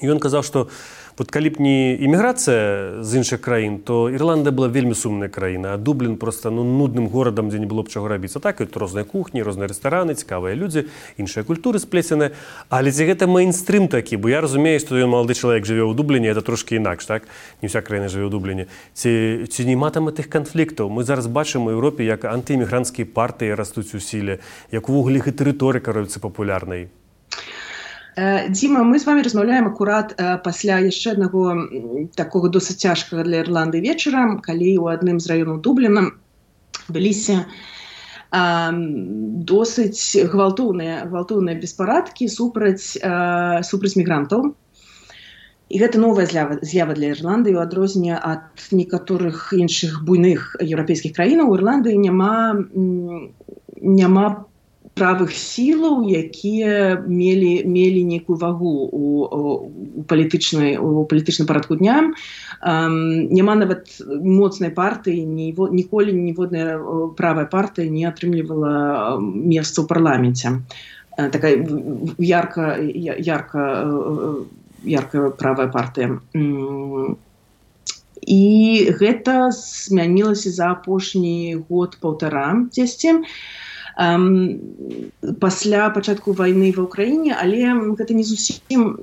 і ён казаў, што вот калі б не эміграцыя з іншых краін, то Ірландыя была вельмі сумная краіна, а Дублін проста нудным горадам, дзе не было б чаго рабіць. А так, тут розныя кухні, розныя рэстараны, цікавыя людзі, іншыя культуры сплеценыя. Але ці гэта мейнстрым такі? Бо я разумею, што ён малады чалавек жыве ў Дубліне, это трошкі інакш, так? Не ўся краіна жыве ў Дубліне. Ці нема там тых канфліктаў? Мы зараз бачым у Еўропе, як антыэмігранцкія партыі растуць у сіле, як увогуле іх і рыторыка робіцца папулярнай. Дзіма, мы з вами размаўляем акурат пасля яшчэ аднаго такога досыць цяжкага для Ірландыі вечара, калі ў адным з раёнаў Дубліна быліся досыць гвалтоўныя беспарадкі супраць мігрантаў. І гэта новая з'ява для Ірландыі, у адрозненне ад некаторых іншых буйных еўрапейскіх краінаў. У Ірландыі няма правых сілаў, якія мелі нейкую вагу у палітычным парадку дня. Няма нават моцнай партыі, ніколі ніводная правая партыя не атрымлівала месца ў парламенце. Такая яркая правая партыя. І гэта змянілася за апошні год-паўтара дзесьці. Пасля пачатку вайны ва ўкраіне, але гэта не зусім...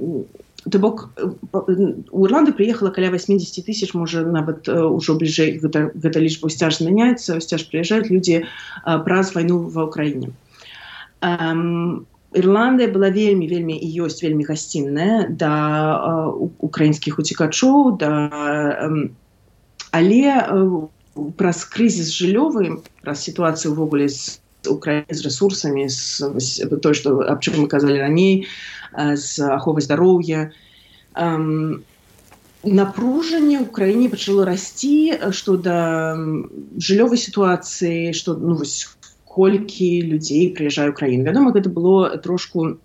То бок, у Ірландыі прыехала каля 80 тысяч, можа, нават ужо бліжэй гэта лічба сцяж змяняецца, сцяж прыязджаюць людзі праз вайну ва ўкраіне. Ірландыя была вельмі і ёсць вельмі гасцінная да украінскіх уцекачоў, але праз крызіс жыллёвы, праз сітуацыю ўвогуле з Украины з ресурсамі, то, што аб чым мы казалі раней, з аховай здароўя. Напружанне ў краіне пачало расці, што да жыллёвай сітуацыі, што колькі людзей прыязджае ў краіну. Вядома, гэта было трошку,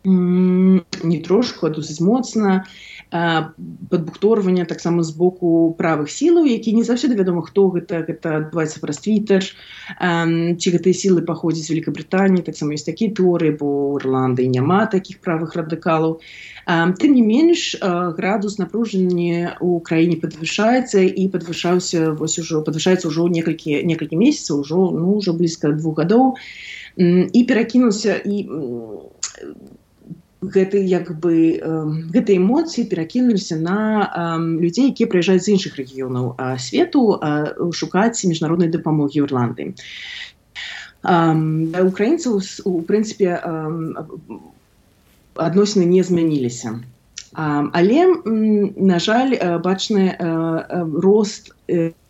не трошку, а досыць моцна, падбухторвання таксама з боку правых сілаў, які не заўсёды вядома, хто гэта адбываецца праз Твіттер, ці гэтыя сілы паходзяць з Великабрытаніі, таксама ёсць такія тэорыі, бо ў Ірландыі няма такіх правых радыкалаў. Тым не менш, градус напружання ў краіне падвышаецца і падвышаецца ўжо некалькі месяцаў, ўжо блізка 2 гадоў, і перакінуўся, і гэтыя эмоцыі перакінуліся на людзей, якія прыязджаюць з іншых рэгіёнаў свету шукаць міжнароднай дапамогі ў Ірландыі. Да украінцаў, у прынцыпе, адносіны не змяніліся. Але, на жаль, бачны рост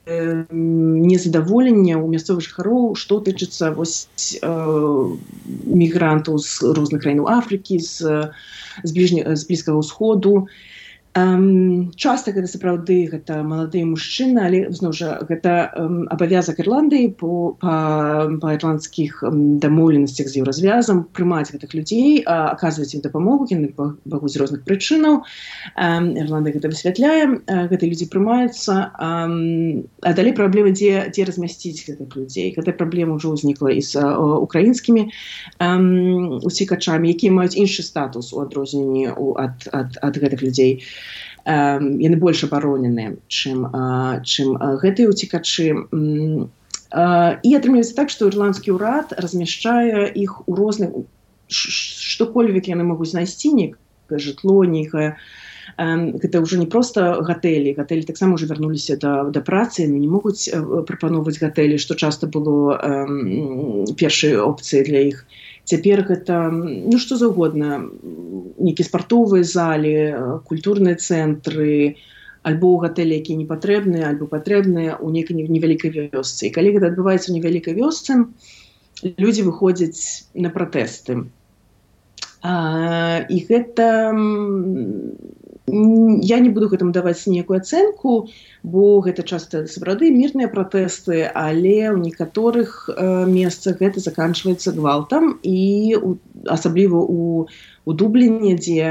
незадаволення ў мясцовых жыхароў, што тычыцца мігрантаў з розных краінаў Афрыкі, з Блізкага ўсходу. Часта гэта сапраўды гэта маладыя мужчыны, але зноў жа гэта абавязак Ірландыі па ірландскіх дамоўленасцях з еўразвязам прымаць гэтых людзей, аказваць ім дапамогу, яны могуць з розных прычынаў. Ірландыя гэта высвятляе, гэтыя людзі прымаюцца, а далей праблема, дзе размясціць гэтых людзей. Гэтая праблема ўжо ўзнікла і з украінскімі уцекачамі, якія маюць іншы статус у адрозненні ад гэтых людзей. Яны больш абароненыя, чым гэтыя уцекачы. І атрымліваецца так, што ірландскі ўрад размяшчае іх у розных, што-кольвек яны могуць знайсці, нейкае жытло, нейкае. Гэта ўжо не проста гатэлі. Гатэлі таксама ўжо вярнуліся да працы, яны не могуць прапаноўваць гатэлі, што часта было першай опцыяй для іх. Цяпер гэта, што заўгодна, нейкія спартовыя залі, культурныя цэнтры, альбо гатэлі, якія не патрэбныя, альбо патрэбныя ў нейкай невялікай вёсцы. І калі гэта адбываецца ў невялікай вёсцы, людзі выходзяць на пратэсты. І гэта я не буду гэтаму даваць ніякую ацэнку, бо гэта часта сапраўды мірныя пратэсты, але ў некаторых месцах гэта заканчваецца гвалтам, і асабліва у Дубліне, дзе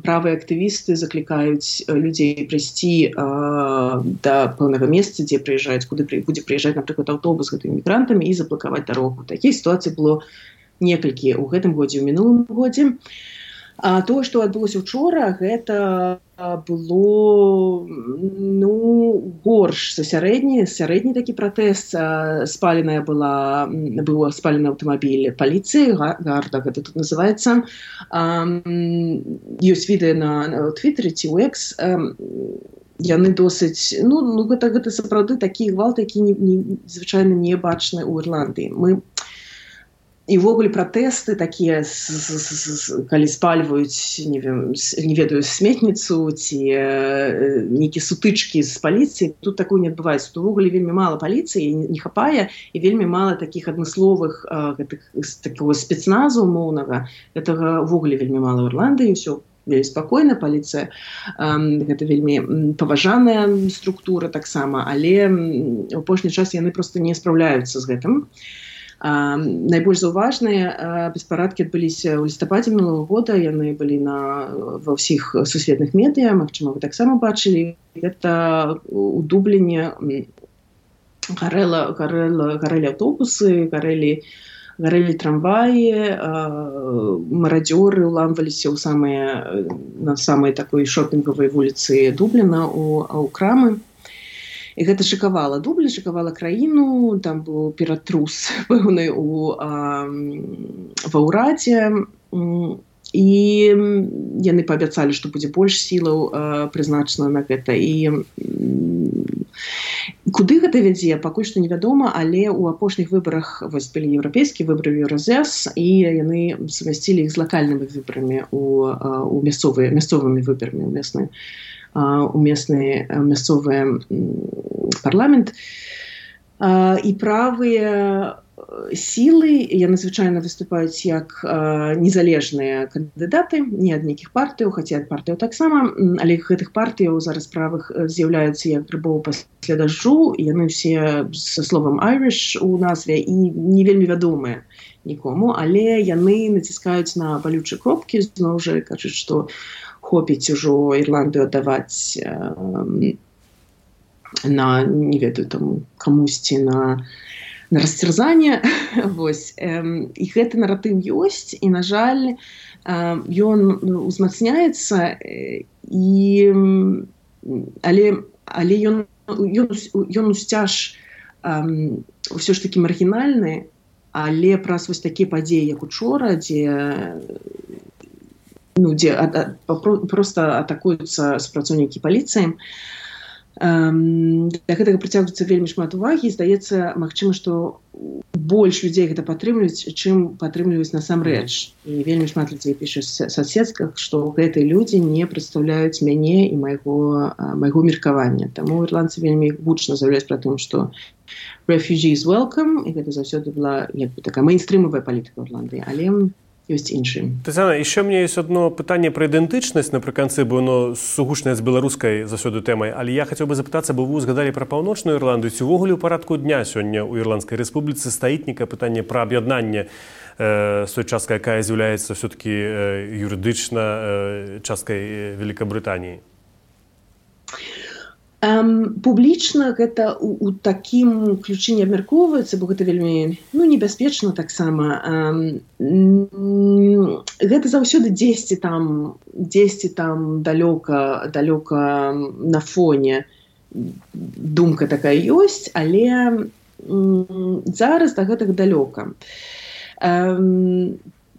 правыя актывісты заклікаюць людзей прыйсці да пэўнага месца, дзе прыязджаюць, куды будзе прыязджаць, напрыклад, аўтобус з гэтымі мігрантамі, і заблакаваць дарогу. Такія сітуацыі было некалькі ў гэтым годзе, у мінулым годзе. А тое, што адбылося ўчора, гэта было горш за сярэдні такі пратэст. Быў спалены аўтамабіль паліцыі, гарда гэта тут называецца. Ёсць відэа на Твіттері ці ў Экс. Яны досыць, гэта сапраўды такі гвалт, які звычайна не бачны ў Ірландыі. І ўвогуле пратэсты такія, калі спальваюць, не ведаю, сметніцу ці нейкія сутычкі з паліцыяй, тут такое не адбываецца. Тут увогуле вельмі мала паліцыі, не хапае, і вельмі мала такіх адмысловых такого спецназу умоўнага. Гэтага ўвогуле вельмі мала ў Ірландыі, ўсё вельмі спакойна, паліцыя гэта вельмі паважаная структура таксама, але ў апошні час яны проста не спраўляюцца з гэтым. Найбольш заўважныя беспарадкі адбыліся ў лістападзе мінулого года, яны былі ва ўсіх сусветных медыа, магчыма, вы таксама бачылі. Гэта у Дубліне гарэлі аўтобусы, гарэлі трамваі, марадзёры ўламваліся на самай такой шопінгавай вуліцы Дубліна ў крамы. І гэта шакавала Дублін, шакавала краіну, там быў ператрус пэўны ва ўрадзе, і яны паабяцалі, што будзе больш сілаў прызначана на гэта. І куды гэта вядзе, пакуль што невядома, але ў апошніх выбарах вось былі еўрапейскія выбары ў Еўразэс, і яны сумясцілі іх з лакальнымі выбарамі, мясцовымі выбарамі у местны мясцовы парламент. І правыя сілы, яны звычайна выступаюць як незалежныя кандыдаты, не ад нейкіх партыяў, хаця ад партыяў таксама, але гэтых партыяў зараз правых з'яўляюцца як грыбоў пасля дажджу, і яны ўсе са словам Irish у назве і не вельмі вядомыя нікому, але яны націскаюць на балючыя кропкі, зноў жа кажуць, што хопіць ужо Ірландыю аддаваць на, не ведаю, там, камусьці на расцярзанне. Вось. І гэты наратыў ёсць, і, на жаль, ён узмацняецца, але ён усцяж ўсё ж такі маргінальны, але праз вось такія падзеі, як учора, дзе проста атакуюцца супрацоўнікі паліцыі. Да гэтага прыцягваецца вельмі шмат увагі, і здаецца, магчыма, што больш людзей гэта падтрымліваюць, чым падтрымліваюць насамрэч. І вельмі шмат людзей піша ў соцсетках, што гэтыя людзі не прадстаўляюць мяне і майго меркавання. Таму ірландцы вельмі гучна заяўляюць пра тым, што refugees welcome, і гэта заўсёды была такая мейнстрымавая палітыка ў Ірландыі, але ёсць іншым. Тетяна, яшчэ мне ёсць одно пытанне пра ідэнтычнасць напрыканцы, бо оно сугучнае з беларускай заўсёды тэмай, але я хацеў бы запытацца, бо вы узгадалі пра паўночную Ірландыю, ці ўвогуле ў парадку дня сёння ў Ірландскай рэспубліцы стаіць нейкае пытанне пра аб'яднанне з той часткай, якая з'яўляецца ўсё-такі юрыдычна часткай Великабрытаніі? Публічна гэта у такім ключы не абмяркоўваецца, бо гэта вельмі небяспечна таксама. Гэта заўсёды дзесьці там далёка на фоне думка такая ёсць, але зараз да гэтага далёка.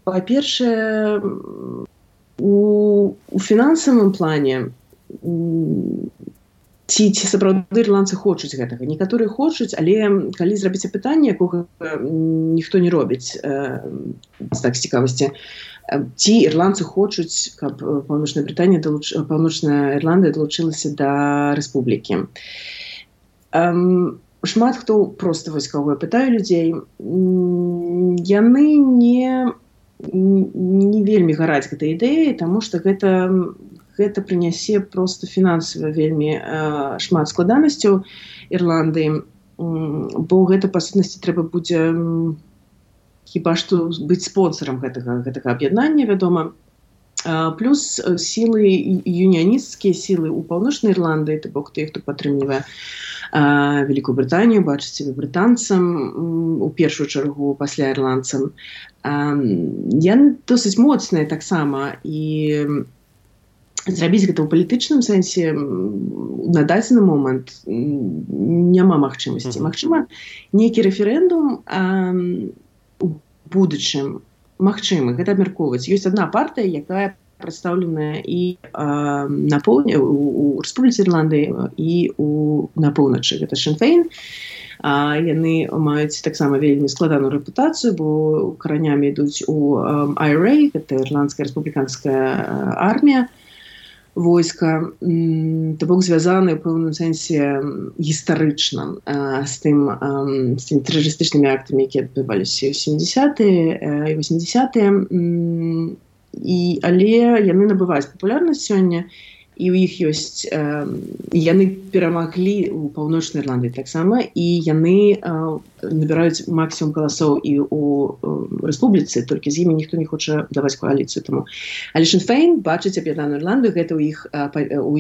Па-першае, у фінансавым плане ці сапраўды ірландцы хочуць гэтага. Некаторыя хочуць, але калі зрабіць апытанне, якога ніхто не робіць так з цікавасці, ці ірландцы хочуць, каб Паўночная Ірландыя далучылася да рэспублікі. Шмат хто проста вось каго я пытаю людзей, яны не вельмі гараць гэтай ідэі, таму што гэта прынясе проста фінансава вельмі шмат складанасцяў Ірландыі, бо гэта па сутнасці трэба будзе хіба што быць спонсарам гэтага аб'яднання, вядома. Плюс сілы юніянісцкія сілы ў Паўночнай Ірландыі, то бок тых, хто падтрымлівае Вялікую Брытанію, бачыць сябе брытанцам, у першую чаргу пасля ірландцам. Яны досыць моцныя таксама, і зрабіць гэта ў палітычным сэнсе на дадзены момант няма магчымасці. Магчыма, нейкі рэферэндум у будучым магчымы, гэта абмяркоўваць. Ёсць адна партыя, якая прадстаўленая і на поўдні, у Рэспубліцы Ірландыі і на поўначы. Гэта Sinn Féin. Яны маюць таксама вельмі складаную рэпутацыю, бо каранямі ідуць у IRA, гэта Ірландская рэспубліканская армія, войска, то бок звязаны ў пэўным сэнсе гістарычна з тымі тэрарыстычнымі актамі, якія адбываліся ў 70-е і 80-е, але яны набываюць папулярнасць сёння, і ў іх ёсць, яны перамаглі ў Паўночнай Ірландыі таксама, і яны набіраюць максімум галасоў і ў рэспубліцы, толькі з імі ніхто не хоча даваць коаліцыю таму. Але Sinn Féin бачыць аб'яднаную Ірландыю, гэта ў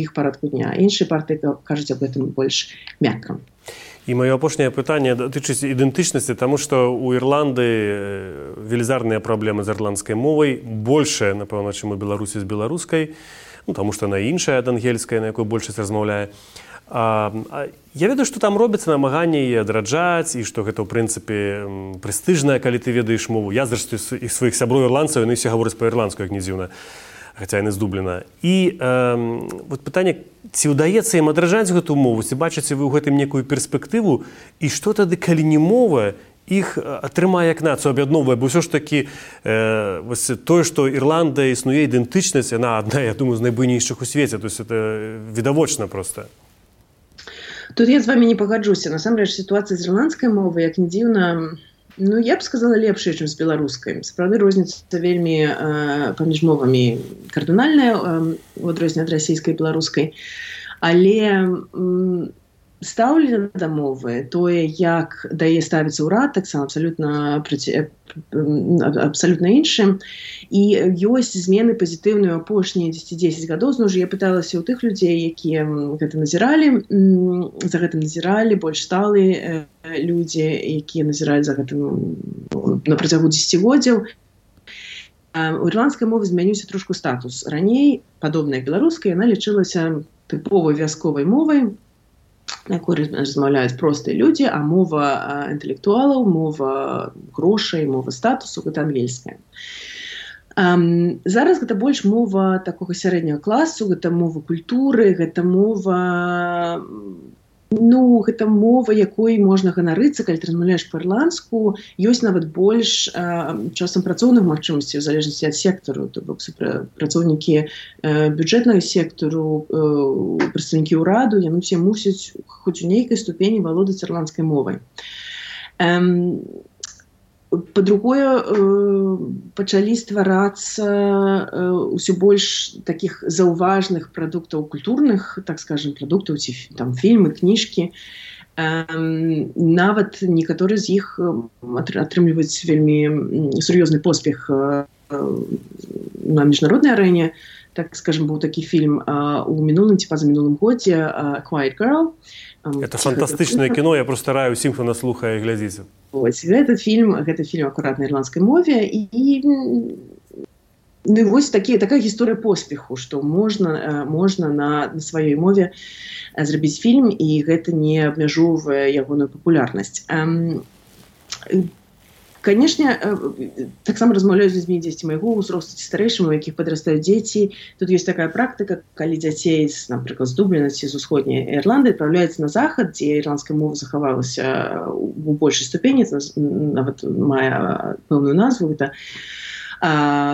іх парадку дня. Іншыя партыі кажуць аб гэтым больш мякка. І маё апошняе пытанне датычыць ідэнтычнасці, таму што ў Ірландыі велізарныя праблемы з ірландскай мовай, большая, напэўна, чым у Беларусі з беларускай, таму што яна іншая ад ангельскай, на якой большасць размаўляе. Я ведаю, што там робяцца намаганні яе адраджаць, і што гэта, ў прынцыпе, прэстыжнае, калі ты ведаеш мову. Я, зрэшты, іх сваіх сяброў ірландцаў, яны ўсе гавораць па-ірландску, як не дзіўна, хаця яны з Дубліна. І пытанне, ці ўдаецца ім адраджаць гэту мову, ці бачыце вы ў гэтым некую перспектыву, і што тады, калі не мова, іх атрымае як нацыю, аб'ядноўвае, бо ўсё ж такі тое, што Ірландыя існуе ідэнтычнасць, яна адна, я думаю, з найбуйнейшых у свеце, то есть это відавочна проста. Тут я з вами не пагаджуся. Насамрэч, сітуацыя з ірландскай мовай, як не дзіўна, я б сказала, лепшая, чым з беларускай. Сапраўды, розніца вельмі паміж мовамі кардынальная, у адрозненне ад расійскай і беларускай. Але стаўленне да мовы, тое, як да яе ставіцца ўрад, таксама абсалютна іншым. І ёсць змены пазітыўныя апошнія 10 гадоў. Зноў жа я пыталася ў тых людзей, якія гэта назіралі, за гэтым назіралі, больш сталыя людзі, якія назіралі за гэтым на працягу дзесяцігоддзяў. У ірландскай мовы змяніўся трошку статус. Раней, падобная беларускай, яна лічылася тыповай вясковай мовай, на якой размаўляюць простыя людзі, а мова інтэлектуалаў, мова грошай, мова статусу, гэта ангельская. Зараз гэта больш мова такога сярэдняга класу, гэта мова культуры, гэта мова, гэта мова, якой можна ганарыцца, калі ты размаўляеш па-ірландску. Ёсць нават больш часам працоўных магчымасцей, у залежнасці ад сектару, то бок працоўнікі бюджэтнага сектару, прадстаўнікі ўраду, яны ўсе мусяць хоць у нейкай ступені валодаць ірландскай мовай. Па-другое, пачалі стварацца ўсё больш такіх заўважных прадуктаў культурных, так скажем, прадуктаў, ці там фільмы, кніжкі. Нават некаторыя з іх атрымліваюць вельмі сур'ёзны поспех на міжнароднай арэне. Так скажем, быў такі фільм у мінулым ці пазамінулым годзе «Quiet Girl». Это фантастычнае кіно, я проста раю ўсім, хто нас слухае, глядзіце. Гэта фільм акурат на ірландскай мове, і вось такая гісторыя поспеху, што можна на сваёй мове зрабіць фільм, і гэта не абмяжоўвае ягоную папулярнасць. Канешне, таксама размаўляю з людзьмі дзесьці майго ўзросту ці старэйшым, у якіх падрастаюць дзеці. Тут ёсць такая практыка, калі дзяцей, напрыклад, з Дубліна ці з усходняй Ірландыі адпраўляюцца на захад, дзе ірландская мова захавалася у большай ступені, нават мае пэўную назву, гэта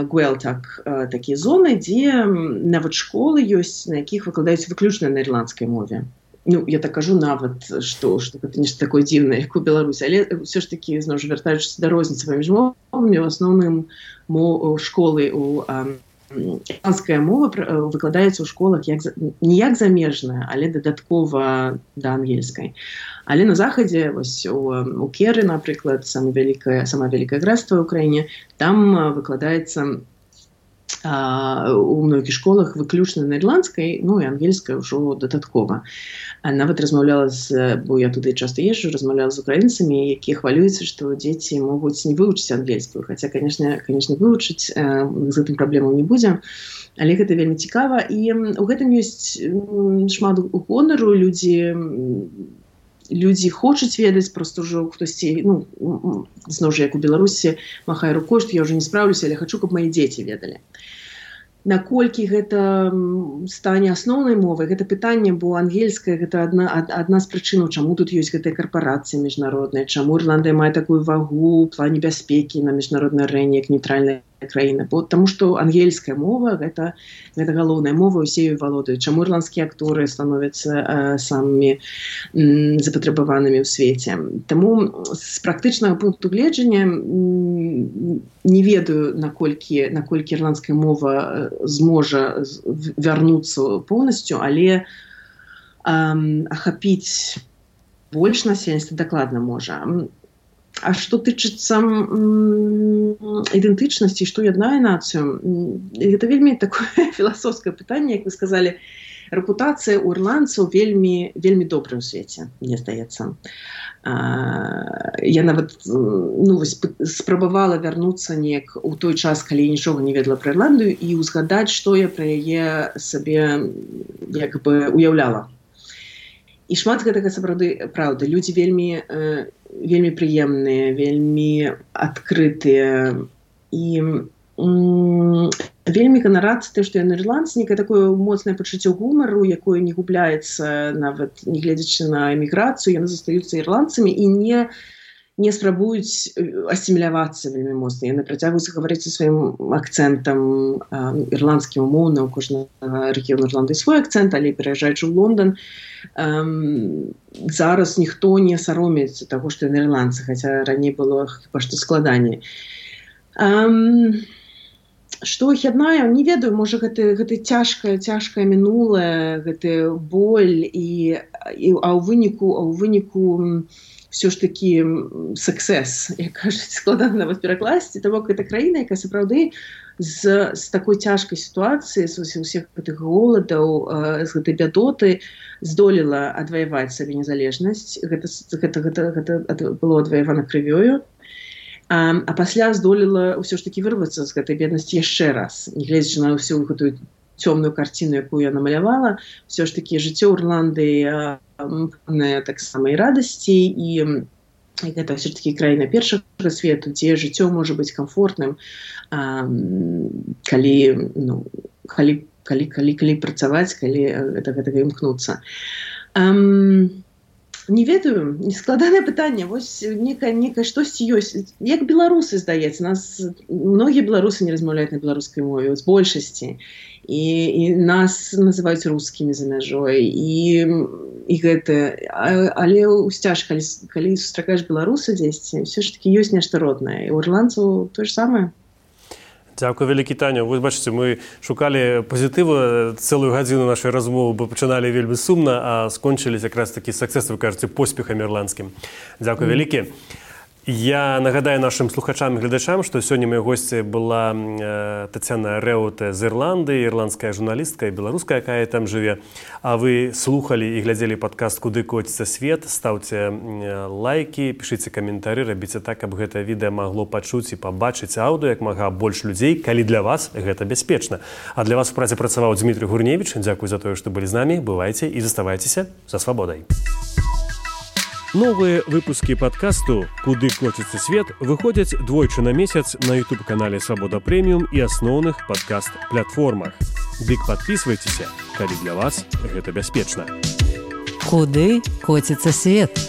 Гуэлтак, такія зоны, дзе нават школы ёсць, на якіх выкладаюць выключна на ірландскай мове. ну, я так кажу нават, што гэта нешта такое дзіўнае, як у Беларусі, але ўсё ж такі, зноў ж, вяртаючыся да розніцы паміж мовамі, у асноўным школы ірландская мова выкладаецца ў школах не як замежная, але дадаткова да ангельскай. Але на захадзе, вось у Керы, напрыклад, самае вялікае графства ў краіне, там выкладаецца у многіх школах выключна на ірландскай, ну і ангельская ўжо дадаткова. Нават размаўляла бо я туды часта езджу, размаўляла з украінцамі, якія хвалююцца, што дзеці могуць не вывучыць ангельскую, хаця, конечно, вывучыць, з гэтым праблемаў не будзе, але гэта вельмі цікава, і у гэтым ёсць шмат гонару, людзі хочуць ведаць, проста ўжо хтосьці, ну, зноў жа, як у Беларусі, махае рукой, што я ўжо не спраўлюся, але хачу, каб мае дзеці ведалі. Наколькі гэта стане асноўнай мовай, гэта пытанне, бо ангельская гэта адна з прычынаў, чаму тут ёсць гэтыя карпорацыі міжнародныя, чаму Ірландыя мае такую вагу ў плане бяспекі на міжнароднай арэне, як нейтральная краіна. Таму што ангельская мова гэта галоўная мова, усе ёй валодаюць. Чаму ірландскія акторы становяцца самымі запатрабаванымі ў свеце. Таму з практычнага пункту гледжання не ведаю, наколькі ірландская мова зможа вярнуцца поўнасцю, але ахапіць больш насельніцтва дакладна можа. А што тычыцца ідэнтычнасці, што яднае нацыю, гэта вельмі такое філасофскае пытанне, як вы сказалі. Рэпутацыя ў ірландцаў вельмі добрая ў свеце, мне здаецца. Я нават спрабавала вярнуцца неяк у той час, калі я нічога не ведала пра Ірландыю, і ўзгадаць, што я пра яе сабе як бы уяўляла. І шмат гэтага сапраўды праўда. Людзі вельмі прыемныя, вельмі адкрытыя і вельмі ганарацца тым, што яны ірландцы, некае такое моцнае пачуццё гумару, якое не губляецца нават не гледзячы на эміграцыю, яны застаюцца ірландцамі і не спрабуюць асімілявацца вельмі моцна. Яны працягваюць гаварыць са сваім акцэнтам ірландскім умоўна, у кожнага рэгіёну Ірландыі свой акцэнт, але пераязджаючы ў Лондан, зараз ніхто не саромеецца таго, што яны ірландцы, хаця раней было хіба што складаней. Што іх яднае, не ведаю, можа гэта цяжкае мінулае, гэты боль, а ў выніку ўсё ж такі суксес, як кажуць, складана нават перакласці, таму гэта краіна, якая сапраўды з такой цяжкай сітуацыі, з усіх гэтых голадаў, з гэтай бядоты здолела адваяваць сабе незалежнасць. Гэта было адваявана крывёю. А пасля здолела ўсё ж такі вырвацца з гэтай беднасці яшчэ раз. Не гледзячы на ўсю гэтую цёмную карціну, якую я намалявала, ўсё ж такі жыццё ў Ірландыі поўнае таксама і радасці, і гэта ўсё ж такі краіна першага свету, дзе жыццё можа быць камфортным, калі працаваць, калі гэтага імкнуцца. Не ведаю, складанае пытанне. Вось некае штосьці ёсць. Як беларусы, здаецца, многія беларусы не размаўляюць на беларускай мове, з большасці. І нас называюць рускімі за мяжой. І гэта. Але ўсцяж, калі сустракаеш беларуса дзесьці, ўсё ж такі ёсць нешта роднае. І ў ірландцаў тое ж самае. Дзякуй вялікі, Таня. Вы бачыце, мы шукалі пазітыву цэлую гадзіну нашай размовы, бо пачыналі вельмі сумна, а скончыліся якраз такі саксэс, вы кажаце, поспехам ірландскім. Дзякуй вялікі. Я нагадаю нашим слухачам і глядачам, што сёння моей госці была Тацяна Рэўте з Ірландыі, ірландская журналістка і беларуская, якая там жыве. А вы слухалі і глядзелі падкаст «Куды коціцца свет». Стаўце лайкі, пішыце каментары, рабіце так, каб гэта відэа магло пачуць і пабачыць аўдыо як мага больш людзей, калі для вас гэта бяспечна. А для вас у працы працаваў Дзмітрый Гурневіч. Дзякуй за тое, што былі з намі. Бывайце і заставайцеся за свабодай. Новые выпуски подкасту «Куды коціцца свет» выходят двойчы на месяц на YouTube-канале «Свобода Премиум» и основных подкаст-платформах. Дык подписывайтесь, калі для вас гэта бяспечна. Куды коціцца свет?